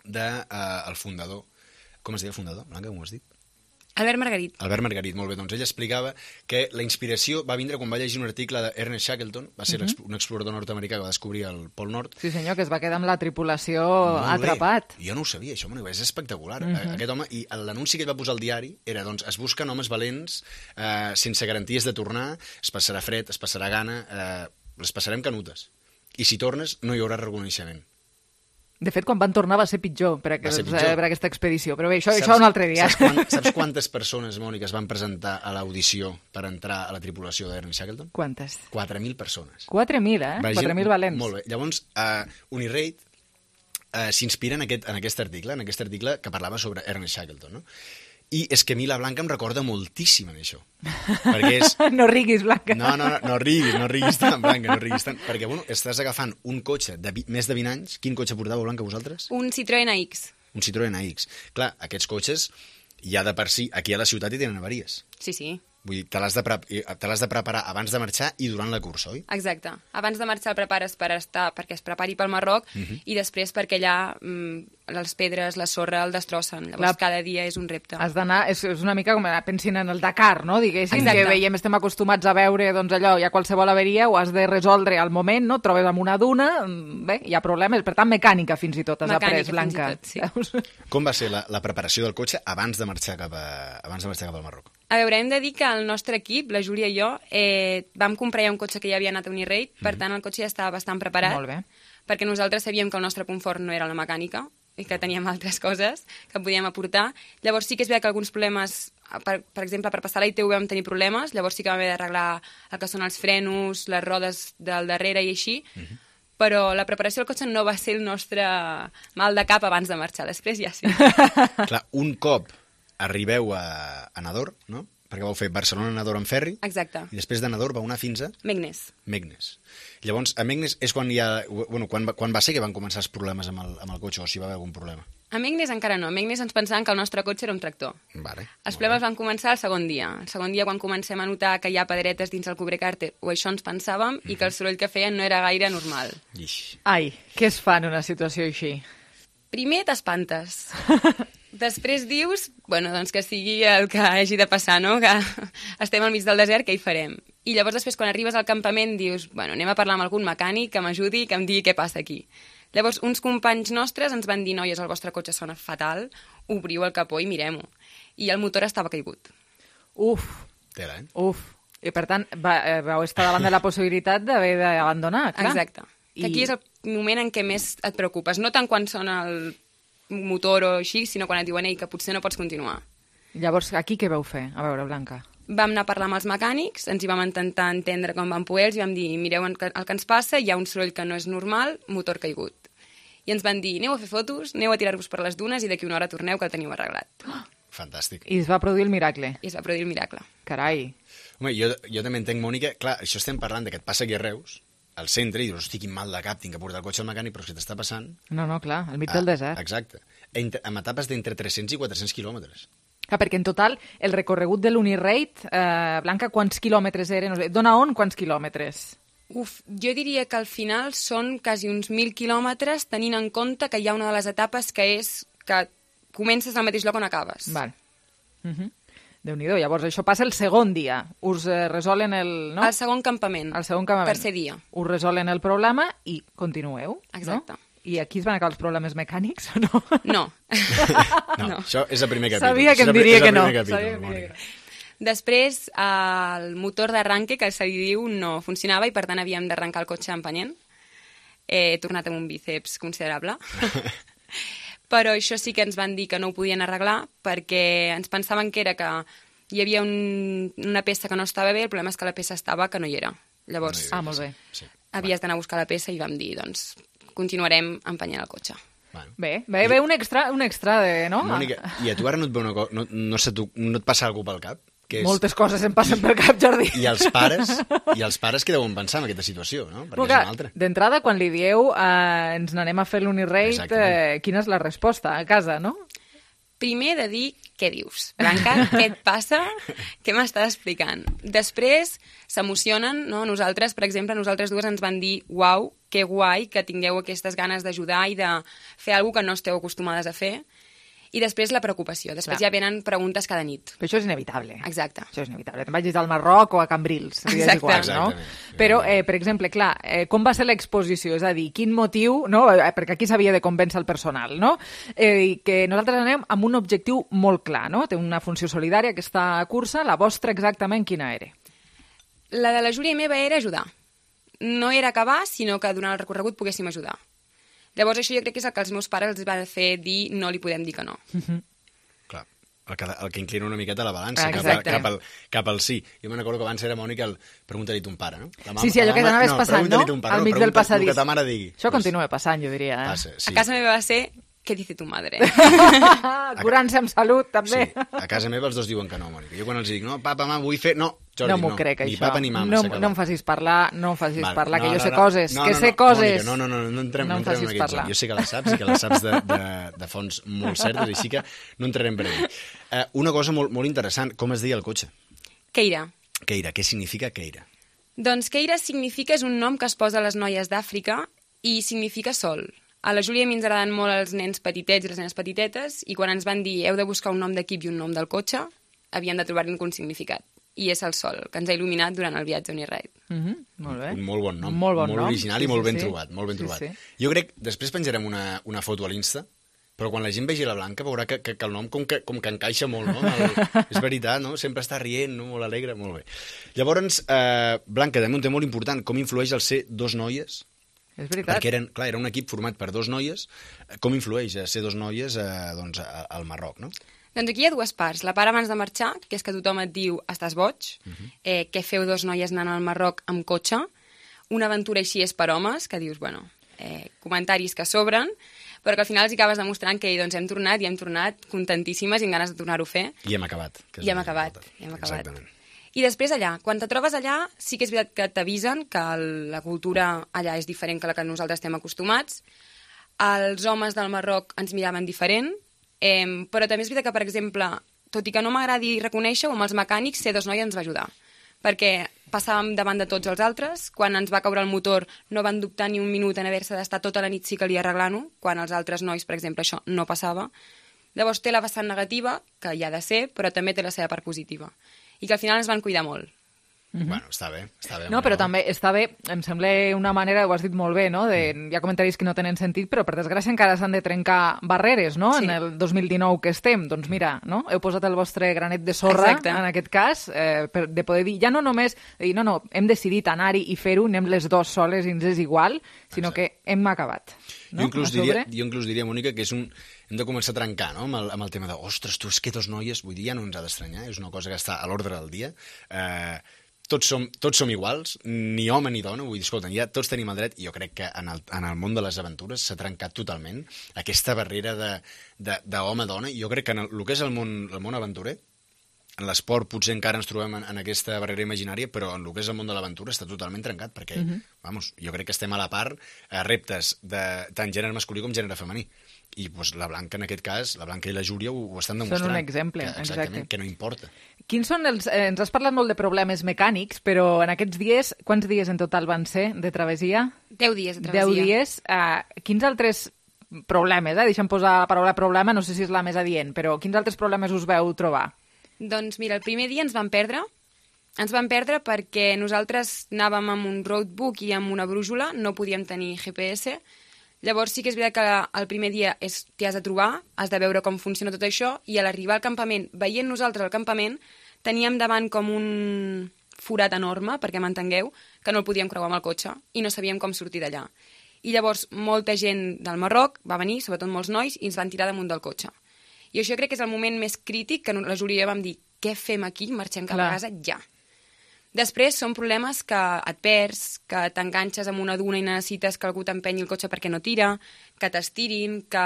del de, uh, el fundador. Com es deia el fundador, Blanca, com ho has dit? Albert Margarit. Albert Margarit, molt bé. Doncs ell explicava que la inspiració va vindre quan va llegir un article d'Ernest Shackleton, va ser uh -huh. un explorador nord-americà que va descobrir el Pol Nord. Sí, senyor, que es va quedar amb la tripulació molt atrapat. Bé. Jo no ho sabia, això, és espectacular. Uh Mhm. -huh. Aquest home, i l'anunci que ell va posar al diari era, doncs, es busquen homes valents, eh, sense garanties de tornar, es passarà fred, es passarà gana, eh, les passarem canutes. I si tornes, no hi haurà reconeixement. De fet, quan van tornar va ser pitjor per, aquest, ser pitjor. per aquesta expedició. Però bé, això, saps, això un altre dia. Saps, quant, saps quantes persones, Mònica, es van presentar a l'audició per entrar a la tripulació d'Ernest Shackleton? Quantes? quatre mil persones. quatre mil, eh? quatre mil valents. Molt bé. Llavors, uh, Unirate uh, s'inspira en, aquest, en aquest article, en aquest article que parlava sobre Ernest Shackleton, no? I és que a mi la Blanca em recorda moltíssim en això. Perquè és... No riguis, Blanca. No, no, no, no riguis, no riguis tant, Blanca, no riguis tant. Perquè, bueno, estàs agafant un cotxe de vi... més de vint anys. Quin cotxe portàveu, Blanca, vosaltres? Un Citroën A X. Un Citroën A X. Clar, aquests cotxes, ja de per si, aquí a la ciutat hi tenen avaries. Sí, sí. Vull dir, te l'has de, pre de preparar abans de marxar i durant la cursa, oi? Exacte. Abans de marxar el prepares per estar, perquè es prepari pel Marroc, Uh -huh. i després perquè allà mm, les pedres, la sorra, el destrossen. Llavors Clar, cada dia és un repte. Has d'anar, és, és una mica com pensin en el Dakar, no? Diguéssim, Exacte. que veiem, estem acostumats a veure, doncs allò, hi ha qualsevol averia, ho has de resoldre al moment, no? Et trobes amb una duna, bé, hi ha problemes, per tant, mecànica fins i tot has Mecànica, après, Blanca. fins i tot, sí. Com va ser la, la preparació del cotxe abans de marxar cap, a, abans de marxar cap al Marroc? A veure, hem de dir que el nostre equip, la Júlia i jo, eh, vam comprar ja un cotxe que ja havia anat a Unirate, per tant el cotxe ja estava bastant preparat, Molt bé. perquè nosaltres sabíem que el nostre confort no era la mecànica i que teníem altres coses que podíem aportar. Llavors sí que és veritat que alguns problemes, per, per exemple, per passar la I T V vam tenir problemes, llavors sí que vam haver d'arreglar el que són els frenos, les rodes del darrere i així, uh -huh. però la preparació del cotxe no va ser el nostre mal de cap abans de marxar, després ja sí. Clar, un cop arribeu a, a Nador, no? Perquè vau fer Barcelona-Nador en ferri. Exacte. I després de Nador vau anar fins a... Meknes. Meknes. Llavors, a Meknes és quan hi ha... Bueno, quan, quan va ser que van començar els problemes amb el, amb el cotxe, o si va haver algun problema? A Meknes encara no. A Meknes ens pensaven que el nostre cotxe era un tractor. Vale, els problemes van començar el segon dia. El segon dia quan comencem a notar que hi ha pedretes dins el cubrecàrter, o això ens pensàvem, mm-hmm. i que el soroll que feien no era gaire normal. Ix. Ai, què es fa en una situació així? Primer t'espantes. Després dius, bueno, doncs que sigui el que hagi de passar, no? Que estem al mig del desert, què hi farem? I llavors després, quan arribes al campament, dius, bueno, anem a parlar amb algun mecànic que m'ajudi, que em digui què passa aquí. Llavors, uns companys nostres ens van dir, noies, el vostre cotxe sona fatal, obriu el capó i mirem-ho. I el motor estava caigut. Uf. Tela, eh? Uf. I per tant, va, eh, vau estar davant de la possibilitat d'haver d'abandonar, clar. Exacte. I... Que aquí és el moment en què més et preocupes. No tant quan sona el motor o així, sinó quan et diuen ei, que potser no pots continuar. Llavors, aquí què vau fer? A veure, Blanca. Vam anar a parlar amb els mecànics, ens hi vam intentar entendre com vam poder, els vam dir, mireu el que ens passa, hi ha un soroll que no és normal, motor caigut. I ens van dir, aneu a fer fotos, aneu a tirar-vos per les dunes i d'aquí una hora torneu que el teniu arreglat. Oh! Fantàstic. I es va produir el miracle. I es va produir el miracle. Carai. Home, jo, jo també entenc, Mònica, clar, això estem parlant de que et passa aquí a Reus, al centre, i dius, hosti, quin mal de cap, tinc que portar el cotxe al mecànic, però què t'està passant? No, no, clar, al mig del desert. Exacte. Amb etapes d'entre tres-cents i quatre-cents quilòmetres. Clar, perquè en total el recorregut de l'Unirate, eh, Blanca, quants quilòmetres eren? No sé, d'on a on, quants quilòmetres? Uf, jo diria que al final són quasi uns mil quilòmetres, tenint en compte que hi ha una de les etapes que és que comences al mateix lloc on acabes. Val. Uh-huh. Déu-n'hi-do, llavors això passa el segon dia. Us eh, resolen el... No? El segon campament. El segon campament. Tercer dia. Us resolen el problema i continueu, Exacte. No? I aquí es van acabar els problemes mecànics o no? No. no, no, això és el primer capítol. Sabia que em diria que no. Sabia que no. Després, el motor d'arranque, que se li diu, no funcionava i per tant havíem d'arrencar el cotxe empenyent. He tornat amb un bíceps considerable. Però això sí que ens van dir que no ho podien arreglar perquè ens pensaven que era que hi havia un, una peça que no estava bé, el problema és que la peça estava que no hi era. Llavors, ah, molt bé. Sí. Havies d'anar a buscar la peça i vam dir, doncs, continuarem empenyent el cotxe. Bueno. Bé, bé, bé, un extra, un extra de... No? Mònica, i a tu ara no et, ve una co... no, no, sé, tu, no et passa alguna pel cap? Que és... Moltes coses em passen pel cap, Jordi. I els pares, i els pares què deuen pensar en aquesta situació, no? Perquè Porque, és una altra. D'entrada, quan li dieu eh, ens n'anem a fer l'Unirate, eh, quina és la resposta a casa, no? Primer de dir què dius. Blanca, què et passa? Què m'estàs explicant? Després s'emocionen, no? Nosaltres, per exemple, nosaltres dues ens van dir uau, que guai que tingueu aquestes ganes d'ajudar i de fer alguna que no esteu acostumades a fer. I després la preocupació. Després Clar. Ja venen preguntes cada nit. Però això és inevitable. Exacte. Això és inevitable. Te'n vagis al Marroc o a Cambrils. Exacte. Igual, no? Però, eh, per exemple, clar, eh, com va ser l'exposició? És a dir, quin motiu, no? Perquè aquí s'havia de convèncer el personal, no? Eh, que nosaltres anem amb un objectiu molt clar, no? Té una funció solidària, aquesta cursa. La vostra exactament quina era? La de la Júlia i meva era ajudar. No era acabar, sinó que durant el recorregut poguéssim ajudar. Llavors això jo crec que és el que els meus pares els va fer dir no li podem dir que no. Uh-huh. Clar, el que, el que inclina una miqueta la balança cap, a, cap, al, cap al sí. Jo me'n recordo que abans era, Mònica, el pregunta-li ton pare, no? La mama, sí, sí, allò que t'anaves no, passant, no? Pare, al mig no, del passadís. El que ta mare digui. Això pues, continua passant, jo diria. Eh? Passa, sí. A casa meva va ser què dice tu madre? Curant-se amb salut, també. Sí, a casa meva els dos diuen que no, Mònica. Jo quan els dic, no, papa, mama, vull fer... No, Jordi, no m'ho no. crec, ni això. papa ni mama. No, no em facis parlar, no em facis vale. parlar, no, que jo no, sé no, coses, no, que no, sé no, coses. Mònica, no, no, no, no entrem, no no entrem en aquest parlar. joc. Jo sé que les saps i que les saps de, de, de fonts molt certes, així que no entrarem per aquí. Uh, una cosa molt, molt interessant, com es deia el cotxe? Keira. Keira, què significa Keira? Doncs Keira significa, és un nom que es posa a les noies d'Àfrica i significa sol. A la Júlia i a mi ens agraden molt els nens petitets i les nenes petitetes i quan ens van dir heu de buscar un nom d'equip i un nom del cotxe, havíem de trobar-hi un significat. I és el sol, que ens ha il·luminat durant el viatge a Uniride. Mm-hmm, molt bé. Un molt bon nom, molt, bon molt nom. original sí, i molt sí, ben sí. trobat. Molt ben sí, trobat. Sí. Jo crec, després penjarem una, una foto a l'Insta, però quan la gent vegi la Blanca veurà que, que, que el nom com que, com que encaixa molt, no? El, és veritat, no? Sempre està rient, no? Molt alegre, molt bé. Llavors, eh, Blanca, també un tema molt important, com influeix el ser dos noies? És veritat. Perquè eren, clar, era un equip format per dos noies. Com influeix a ser dos noies eh, doncs, al Marroc, no? Doncs aquí hi ha dues parts. La part abans de marxar, que és que tothom et diu estàs boig, uh-huh. eh, què feu dos noies anant al Marroc amb cotxe, una aventura així és per homes, que dius, bueno, eh, comentaris que sobren, però que al final els acabes demostrant que doncs, hem tornat i hem tornat contentíssimes i amb ganes de tornar-ho a fer. I hem acabat. I hem acabat, i hem acabat. Exactament. I després allà, quan te trobes allà, sí que és veritat que t'avisen que la cultura allà és diferent que la que nosaltres estem acostumats. Els homes del Marroc ens miraven diferent, eh, però també és veritat que, per exemple, tot i que no m'agradi reconèixer-ho, amb els mecànics, ser dos noies ens va ajudar. Perquè passàvem davant de tots els altres, quan ens va caure el motor no van dubtar ni un minut en haver-se d'estar tota la nit sí que li arreglant-ho, quan els altres nois, per exemple, això no passava. Llavors té la vessant negativa, que hi ha de ser, però també té la seva part positiva. I que al final ens van cuidar molt. Mm-hmm. Bueno, està bé, està bé. No, però també està bé, em sembla una manera, ho has dit molt bé, no? De, hi ha comentaris que no tenen sentit, però per desgràcia encara s'han de trencar barreres, no? Sí. En el dos mil dinou que estem, doncs mira, no? Heu posat el vostre granet de sorra, Exacte. En aquest cas, eh, per, de poder dir, ja no només, dir, no, no, hem decidit anar-hi i fer-ho, anem les dues soles i ens és igual, sinó Exacte. Que hem acabat. No? Jo, inclús diria, jo inclús diria, Mònica, que és un... hem de començar a trencar, no?, amb el, amb el tema de ostres, tu, és que dos noies, vull dir, ja no ens ha d'estranyar, és una cosa que està a l'ordre del dia. Eh, tots, som, tots som iguals, ni home ni dona, vull dir, escolta, ja tots tenim el dret, i jo crec que en el, en el món de les aventures s'ha trencat totalment aquesta barrera d'home-dona, jo crec que en el, el que és el món, el món aventurer, en l'esport potser encara ens trobem en, en aquesta barrera imaginària, però en el que és el món de l'aventura està totalment trencat, perquè, Mhm. vamos, jo crec que estem a la part a reptes de tant gènere masculí com gènere femení. I pues, la Blanca, en aquest cas, la Blanca i la Júlia ho, ho estan demostrant. Són un exemple, que, exactament, exacte. que no importa. Quins són els... Eh, ens has parlat molt de problemes mecànics, però en aquests dies, quants dies en total van ser de travessia? Deu dies de travessia. Deu dies. Eh, quins altres problemes, eh? Deixa'm posar la paraula problema, no sé si és la més adient, però quins altres problemes us veu trobar? Doncs mira, el primer dia ens van perdre. Ens van perdre perquè nosaltres anàvem amb un roadbook i amb una brújula, no podíem tenir G P S. Llavors sí que és veritat que el primer dia és t'hi has de trobar, has de veure com funciona tot això, i a l'arribar al campament, veient nosaltres al campament, teníem davant com un forat enorme, perquè m'entengueu, que no el podíem creuar amb el cotxe i no sabíem com sortir d'allà. I llavors molta gent del Marroc va venir, sobretot molts nois, i ens van tirar damunt del cotxe. I això crec que és el moment més crític que la Júlia vam dir, què fem aquí? Marxem cap Clar. a casa ja. Després són problemes que et perds, que t'enganxes amb una duna i necessites que algú t'empenyi el cotxe perquè no tira, que t'estirin, que...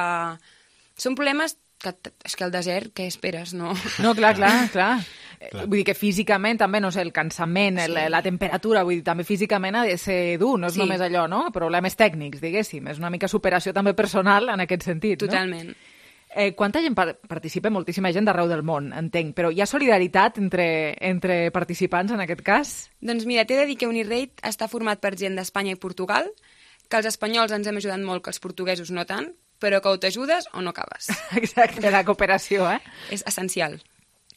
Són problemes que... És que al desert, què esperes? No, No, clar, clar, clar. Clar. Vull dir que físicament també, no sé, el cansament, sí. la, la temperatura, vull dir, també físicament ha de ser dur, no és Sí. només allò, no? Problemes tècnics, diguéssim. És una mica superació també personal en aquest sentit, Totalment. no? Eh, quanta gent par participa? Moltíssima gent d'arreu del món, entenc, però hi ha solidaritat entre, entre participants en aquest cas? Doncs mira, t'he de dir que Unirate està format per gent d'Espanya i Portugal, que els espanyols ens hem ajudat molt, que els portuguesos no tant, però que o t'ajudes o no acabes. Exacte, la cooperació, eh? És essencial.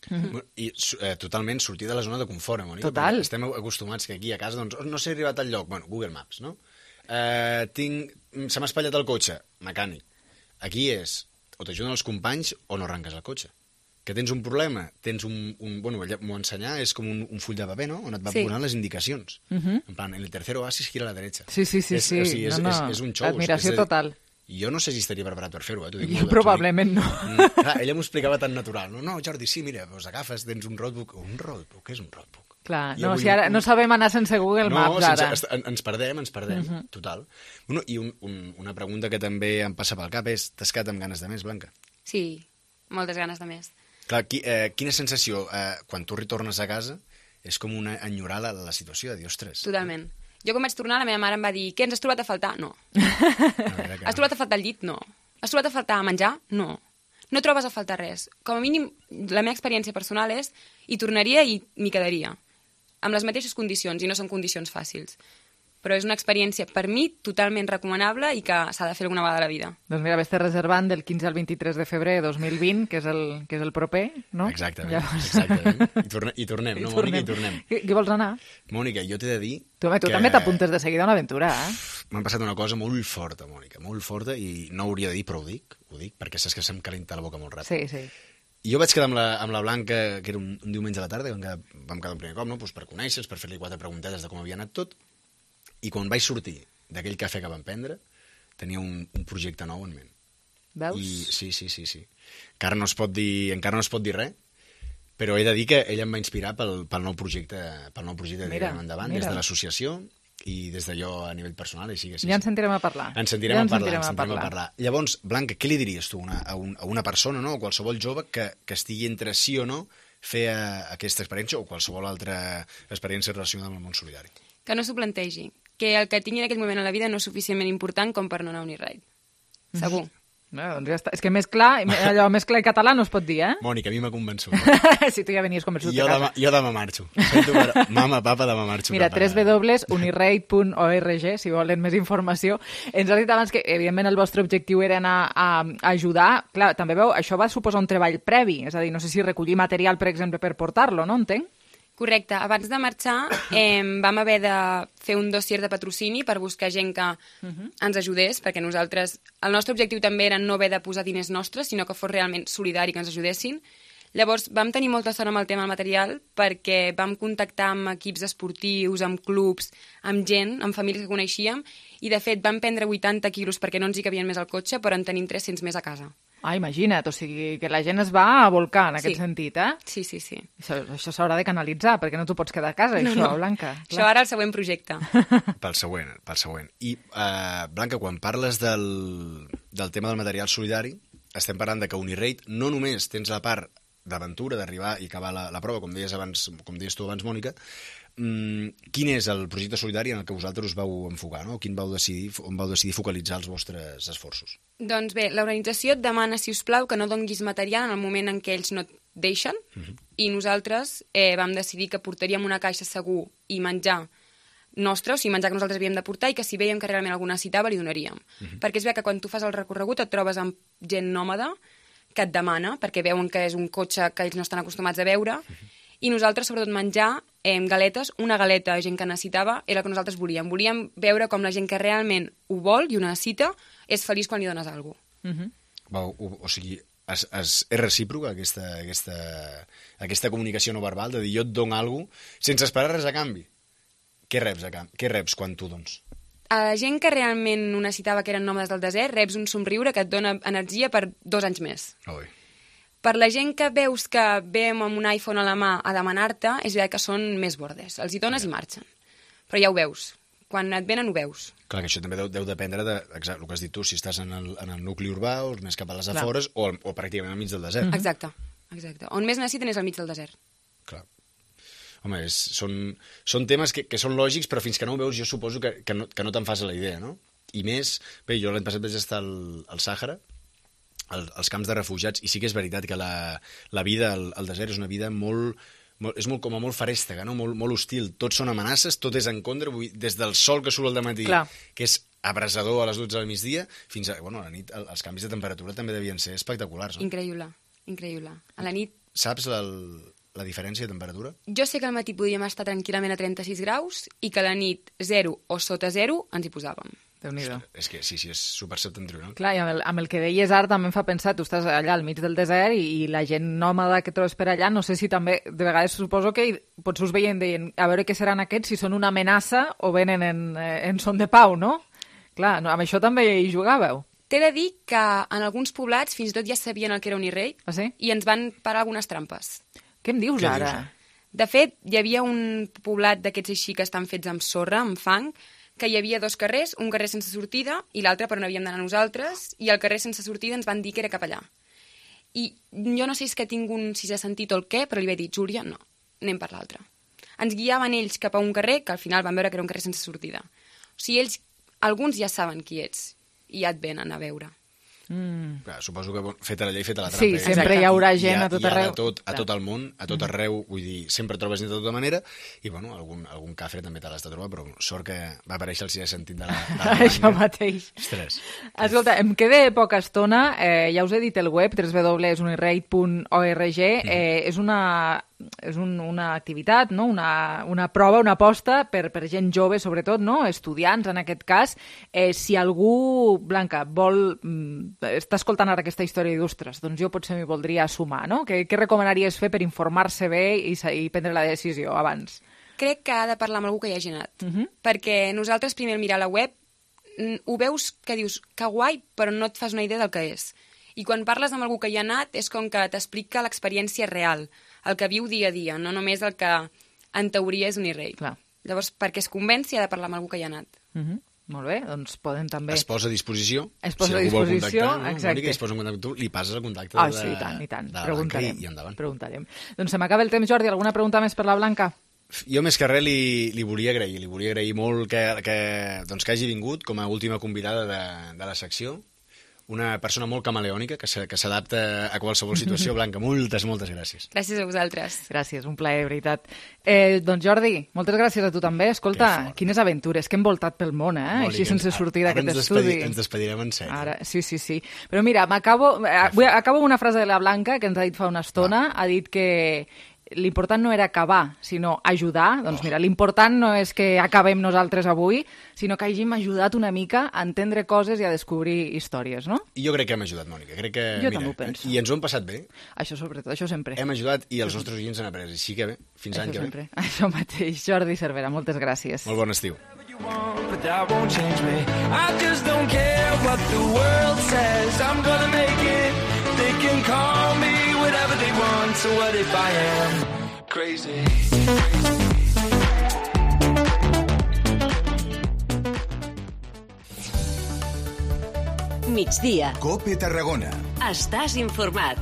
Mm-hmm. I eh, totalment sortir de la zona de confort, eh, Mònica? Total. Perquè estem acostumats que aquí a casa, doncs, no sé arribat al lloc, bueno, Google Maps, no? Eh, tinc... Se m'ha espatllat el cotxe, mecànic. Aquí és, o t'ajuden els companys o no arranques el cotxe. Que tens un problema, tens un... un bueno, ella m'ho ensenyar, és com un, un full de paper, no?, on et va Sí. donant les indicacions. Mhm. En plan, en el tercer oasis gira a la derecha. Sí, sí, sí, és, sí. O sigui, és, No, no. és, és un show. Admiració és, és, total. Jo no sé si estaria preparat per fer-ho, eh? T'ho dic Jo molt, probablement no. Mm, clar, ella m'ho explicava tan natural. No, no, Jordi, sí, mira, doncs agafes, tens un roadbook. Un roadbook? Què és un roadbook? Clar, Jo no, vull si ara un- no sabem anar sense Google no, Maps, sense, ara. est- en- ens perdem, ens perdem, Mhm. total. Bueno, I un, un, una pregunta que també em passa pel cap és, t'has quedat amb ganes de més, Blanca? Sí, moltes ganes de més. Clar, qui, eh, quina sensació, eh, quan tu retornes a casa, és com una enyorar la, la situació, de dir, ostres... Totalment. Jo quan vaig tornar, la meva mare em va dir, què, ens has trobat a faltar? No. Has trobat a faltar el llit? No. Has trobat a faltar menjar? No. No trobes a faltar res. Com a mínim, la meva experiència personal és hi tornaria i m'hi quedaria. Amb les mateixes condicions, i no són condicions fàcils. Però és una experiència, per mi, totalment recomanable i que s'ha de fer alguna vegada a la vida. Doncs mira, vés-te reservant del quinze al vint-i-tres de febrer de dos mil vint, que és el, que és el proper, no? Exactament, Llavors... exactament. I, torne, I tornem, no, Mònica? I tornem. Qui, qui vols anar? Mònica, jo t'he de dir... Tu, home, tu que també t'apuntes de seguida a una aventura, eh? M'ha passat una cosa molt forta, Mònica, molt forta, i no hauria de dir, però ho dic, ho dic, perquè saps que se'm calenta la boca molt ràpid. Sí, sí. I jo vaig quedar amb la, amb la Blanca, que era un, un diumenge a la tarda, vam quedar, vam quedar un primer cop, no? Pues per conèixer, per fer-li quatre preguntetes de com havia anat tot, i quan vaig sortir d'aquell cafè que vam prendre, tenia un, un projecte nou en ment. Veus? I, sí, sí, sí, sí. Encara no es pot dir, encara no es pot dir res, però he de dir que ella em va inspirar pel, pel nou projecte, pel nou projecte de Mira, tirar endavant, mira. des de l'associació i des d'allò a nivell personal, i sí que sí. Ja sí. ens sentirem a parlar. Ens sentirem, ja a, parlar, sentirem ens sentirem a parlar. Llavors, Blanca, què li diries tu a una, a un, a una persona, no? O qualsevol jove que, que estigui entre sí o no fer a, aquesta experiència o qualsevol altra experiència relacionada amb el món solidari? Que no s'ho plantegi. Que el que tingui en aquell moment a la vida no és suficientment important com per no anar a Uniride. Segur. No, doncs ja està. És que més clar, allò més clar i català no es pot dir, eh? Mònica, a mi m'ha convençut. Si tu ja venies convençut Jo de casa. demà, jo demà marxo. Sento per... Mama, papa, demà marxo. Mira, cap a- w w w punt unirate punt org, si volen més informació. Ens has dit abans que, evidentment, el vostre objectiu era anar a, a ajudar. Clar, també veu, això va suposar un treball previ, és a dir, no sé si recollir material, per exemple, per portar-lo, no? Entenc? Correcte. Abans de marxar eh, vam haver de fer un dossier de patrocini per buscar gent que ens ajudés, perquè nosaltres... El nostre objectiu també era no haver de posar diners nostres, sinó que fos realment solidari, que ens ajudessin. Llavors vam tenir molta sort amb el tema del material perquè vam contactar amb equips esportius, amb clubs, amb gent, amb famílies que coneixíem, i de fet vam prendre vuitanta quilos perquè no ens hi cabien més al cotxe, però en tenim tres-cents més a casa. Ah, imagina't, o sigui, que la gent es va a volcar en aquest Sí. sentit, eh? Sí, sí, sí. Això, això s'haurà de canalitzar, perquè no t'ho pots quedar a casa, No, això, no. Blanca. Això ara el següent projecte. Pel següent, pel següent. I, uh, Blanca, quan parles del, del tema del material solidari, estem parlant de que Unirate no només tens la part d'aventura, d'arribar i acabar la, la prova, com deies, abans, com deies tu abans, Mònica. Mm, quin és el projecte solidari en el que vosaltres us vau enfocar, no? Quin vau decidir, on vau decidir focalitzar els vostres esforços? Doncs bé, l'organització et demana, si us plau, que no donguis material en el moment en què ells no et deixen, uh-huh. i nosaltres eh, vam decidir que portaríem una caixa segur i menjar nostre, o sigui, menjar que nosaltres havíem de portar i que si veiem que realment algú necessitava li donaríem. Uh-huh. Perquè és bé que quan tu fas el recorregut et trobes amb gent nòmada que et demana, perquè veuen que és un cotxe que ells no estan acostumats a veure, uh-huh. i nosaltres, sobretot, menjar eh, galetes, una galeta a gent que necessitava era el que nosaltres volíem. Volíem veure com la gent que realment ho vol i ho necessita és feliç quan li dones alguna cosa. Uh-huh. Va, o, o sigui, es, es, és recíproca aquesta, aquesta, aquesta comunicació no verbal, de dir jo et dono alguna cosa sense esperar res a canvi. Què reps, a canvi? Què reps quan tu dones? A la gent que realment ho necessitava, que eren nòmades del desert, reps un somriure que et dona energia per dos anys més. Oi. Per la gent que veus que ve amb un iPhone a la mà a demanar-te, és veritat que són més bordes. Els hi dones i marxen. Però ja ho veus. Quan et venen ho veus. Clar, que això també deu, deu dependre de exacte, el que has dit tu, si estàs en el, en el nucli urbà o més cap a les afores o, o pràcticament al mig del desert. Exacte, exacte. On més necessiten és al mig del desert. Clar. Home, és, són, són temes que, que són lògics, però fins que no ho veus jo suposo que, que no, que no te'n fas la idea, no? I més, bé, jo l'any passat vaig estar al, al Sàhara, al, als camps de refugiats, i sí que és veritat que la, la vida al, al desert és una vida molt, molt, és molt, com a molt farèstega, no? molt, molt hostil. Tots són amenaces, tot és en contra, vull, des del sol que surt al dematí, Clar. que és abrasador a les dotze del migdia, fins a, bueno, a la nit, els canvis de temperatura també devien ser espectaculars. No? Increïble, increïble. A la nit... Saps el... la diferència de temperatura? Jo sé que al matí podíem estar tranquil·lament a trenta-sis graus i que a la nit zero o sota zero ens hi posàvem. Déu-n'hi-do. És que sí, sí, és super septentrional. Clar, i amb el, amb el que deies ara també em fa pensar, tu estàs allà al mig del desert i, i la gent nòmada que trobes per allà, no sé si també, de vegades suposo que potser us veien deien, a veure què seran aquests, si són una amenaça o venen en, en son de pau, no? Clar, no, amb això també hi jugàveu. T'he de dir que en alguns poblats fins i tot ja sabien el que era un i-rei ah, sí? i ens van parar algunes trampes. Què em dius Què ara? dius? De fet, hi havia un poblat d'aquests així que estan fets amb sorra, amb fang, que hi havia dos carrers, un carrer sense sortida i l'altre per on havíem d'anar nosaltres, i el carrer sense sortida ens van dir que era cap allà. I jo no sé si és que tinc un sisè sentit o el què, però li vaig dir, Júlia, no, anem per l'altre. Ens guiaven ells cap a un carrer que al final van veure que era un carrer sense sortida. O sigui, ells, alguns ja saben qui ets i ja et venen a veure. Mm. Clar, suposo que feta la llei, feta la trampa. Sí, sempre hi haurà gent a tot arreu. Hi ha de tot, a tot el món, a tot arreu, vull dir, sempre trobes gent de tota manera, i bueno, algun, algun cafre també te l'has de trobar, però sort que va aparèixer el sisè sentit de la, de la Això mateix. Ostres. Escolta, em queda poca estona, eh, ja us he dit el web, w w w punt unirate punt org, eh, és una... és un, una activitat, no? una, una prova, una aposta per, per gent jove, sobretot, no? Estudiants, en aquest cas. Eh, si algú, Blanca, vol, està escoltant ara aquesta història i d'ostres, doncs jo potser m'hi voldria sumar, no? Què, què recomanaries fer per informar-se bé i, i prendre la decisió abans? Crec que ha de parlar amb algú que hi hagi anat, Uh-huh. perquè nosaltres primer al mirar la web ho veus que dius que guai, però no et fas una idea del que és. I quan parles amb algú que hi ha anat és com que t'explica l'experiència real, el que viu dia a dia, no només el que en teoria és un i-rei. Clar. Llavors, perquè es convenci, ha de parlar amb algú que hi ha anat. Uh-huh. Molt bé, doncs poden també... Es posa a disposició. Es posa si a algú disposició, vol contactar, no? exacte. Mònica, es posa en contacte amb tu, li passes el contacte Ah, de, sí, i tant, i tant. de la Preguntarem. Blanca i, i endavant. Preguntarem. Doncs se m'acaba el temps, Jordi. Alguna pregunta més per la Blanca? Jo més que res li, li volia agrair, li volia agrair molt que, que, doncs, que hagi vingut com a última convidada de, de la secció. Una persona molt camaleònica, que s'adapta a qualsevol situació. Blanca, moltes, moltes gràcies. Gràcies a vosaltres. Gràcies, un plaer, veritat. Eh, doncs Jordi, moltes gràcies a tu també. Escolta, quines aventures que hem voltat pel món, eh? Molt Així bé, sense sortir d'aquest ens estudi. Despedi, ens despedirem en sèrio. Ara, sí, sí, sí. Però mira, m'acabo eh, acabo amb una frase de la Blanca que ens ha dit fa una estona. Ha dit que l'important no era acabar, sinó ajudar. Doncs mira, l'important no és que acabem nosaltres avui, sinó que hàgim ajudat una mica a entendre coses i a descobrir històries, no? I jo crec que hem ajudat, Mònica. Crec que, Jo mira, també ho penso. I ens ho hem passat bé. Això sobretot, això sempre. Hem ajudat i els nostres oients han après. Així que bé, fins Això l'any que sempre. ve. Això mateix. Jordi Cervera, moltes gràcies. Molt bon estiu. But that won't change me. I just don't care what the world says. I'm gonna make it. They can call me whatever they want. So what if I am crazy? Migdia. Cope Tarragona. Estàs informat.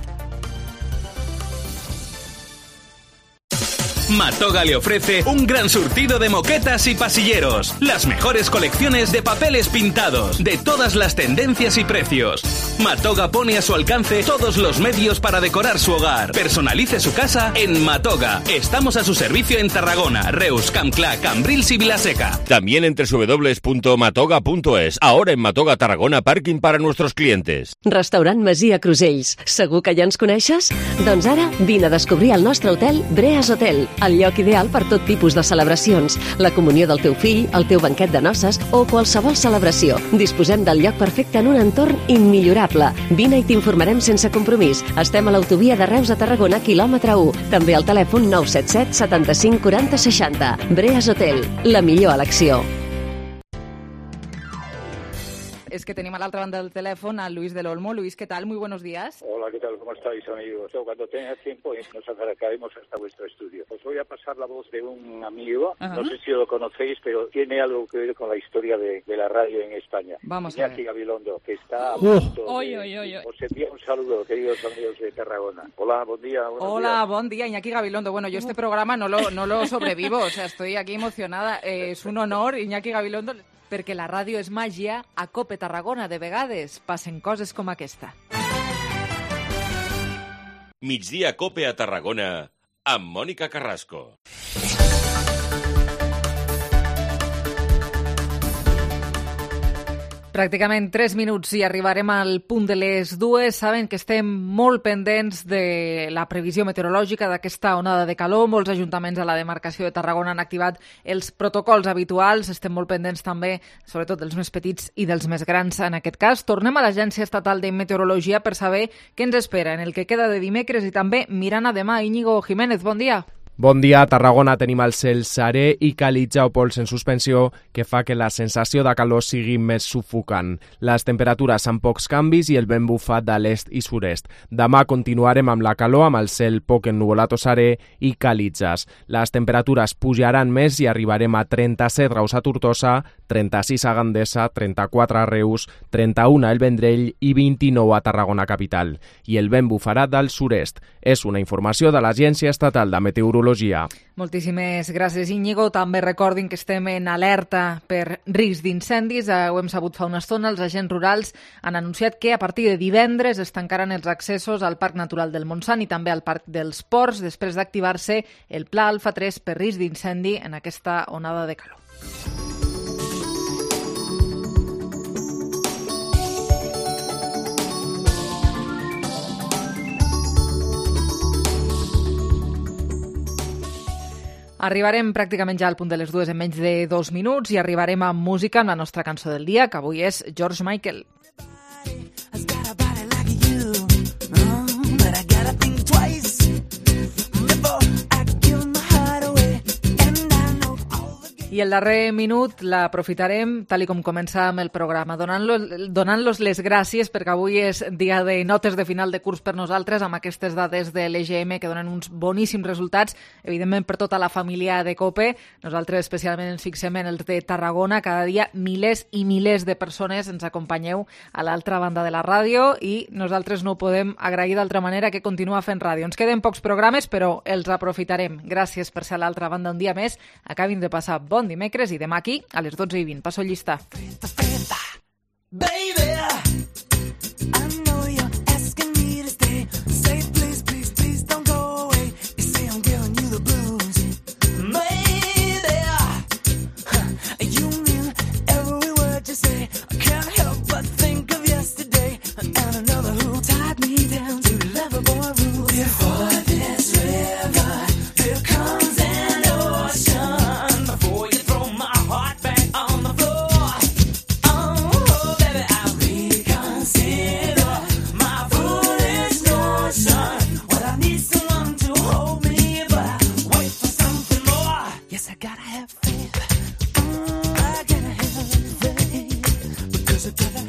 Matoga le ofrece un gran surtido de moquetas y pasilleros, las mejores colecciones de papeles pintados, de todas las tendencias y precios. Matoga pone a su alcance todos los medios para decorar su hogar. Personalice su casa en Matoga. Estamos a su servicio en Tarragona, Reus, Campclà, Cambrils y Vilaseca. También en doble u doble u doble u punto matoga punto es. Ahora en Matoga Tarragona, parking para nuestros clientes. Restaurant Masia Crusells. Segur que ja ens coneixes? Doncs ara vine a descobrir el nostre hotel Breas Hotel, el lloc ideal per tot tipus de celebracions, la comunió del teu fill, el teu banquet de noces o qualsevol celebració. Disposem del lloc perfecte en un entorn immillorable. Vine i t'informarem sense compromís. Estem a l'autovia de Reus a Tarragona, quilòmetre u. També al telèfon nou set set setanta-cinc quaranta seixanta. Breas Hotel, la millor elecció. Es que tenemos a la otra banda del teléfono a Luis del Olmo. Luis, ¿qué tal? Muy buenos días. Hola, ¿qué tal? ¿Cómo estáis, amigos? Cuando tengas tiempo nos acercaremos hasta vuestro estudio. Os voy a pasar la voz de un amigo, Ajá. no sé si lo conocéis, pero tiene algo que ver con la historia de, de la radio en España. Vamos Iñaki a ver. Gabilondo, que está a punto uh. de... Oy, oy, oy, oy. Os envío un saludo, queridos amigos de Tarragona. Hola, buen día. Hola, días. buen día, Iñaki Gabilondo. Bueno, yo este programa no lo, no lo sobrevivo, o sea, estoy aquí emocionada. Eh, es un honor, Iñaki Gabilondo, perquè la ràdio és màgia, a Cope Tarragona de vegades passen coses com aquesta. Migdia Cope a Tarragona amb Mònica Carrasco. Pràcticament tres minuts i arribarem al punt de les dues. Saben que estem molt pendents de la previsió meteorològica d'aquesta onada de calor. Molts ajuntaments a la demarcació de Tarragona han activat els protocols habituals. Estem molt pendents també, sobretot dels més petits i dels més grans en aquest cas. Tornem a l'Agència Estatal de Meteorologia per saber què ens espera en el que queda de dimecres i també mirant a demà. Íñigo Jiménez, bon dia. Bon dia, a Tarragona tenim el cel serè i calitja o pols en suspensió que fa que la sensació de calor sigui més sufocant. Les temperatures amb pocs canvis i el vent bufa de l'est i sud-est. Demà continuarem amb la calor, amb el cel poc ennuvolat o serè i calitges. Les temperatures pujaran més i arribarem a trenta-set graus a Tortosa, trenta-sis a Gandesa, trenta-quatre a Reus, trenta-u a El Vendrell i vint-i-nou a Tarragona capital. I el vent bufarà del sud-est. És una informació de l'Agència Estatal de Meteorologia. Moltíssimes gràcies, Íñigo. També recordin que estem en alerta per risc d'incendis. Ho hem sabut fa una estona. Els agents rurals han anunciat que a partir de divendres es tancaran els accessos al Parc Natural del Montsant i també al Parc dels Ports després d'activar-se el Pla Alfa tres per risc d'incendi en aquesta onada de calor. Arribarem pràcticament ja al punt de les dues en menys de dos minuts i arribarem amb música amb la nostra cançó del dia, que avui és George Michael. I el darrer minut l'aprofitarem, tal i com començàvem el programa, donant-los donant-los les gràcies perquè avui és dia de notes de final de curs per nosaltres, amb aquestes dades de l'E G M que donen uns boníssims resultats, evidentment per tota la família de COPE. Nosaltres especialment ens fixem en els de Tarragona. Cada dia milers i milers de persones ens acompanyeu a l'altra banda de la ràdio i nosaltres no ho podem agrair d'altra manera que continuar fent ràdio. Ens queden pocs programes, però els aprofitarem. Gràcies per ser a l'altra banda un dia més. Acabin de passar bon dimecres i demà aquí a les dotze i vint. Passo llista. Baby, I know you're asking me to stay. Say please, please, please don't go away. You say I'm giving you the blues. Maybe you mean every word you say. I can't help but think of yesterday and another who tied me down to Loverboy rules. Before this river, here comes an ocean. Before you throw my heart back on the floor. Oh, baby, I reconsider my foolish notion. Well, I need someone to hold me, but I wait for something more. Yes, I gotta have faith. Mm, I gotta have faith because I gotta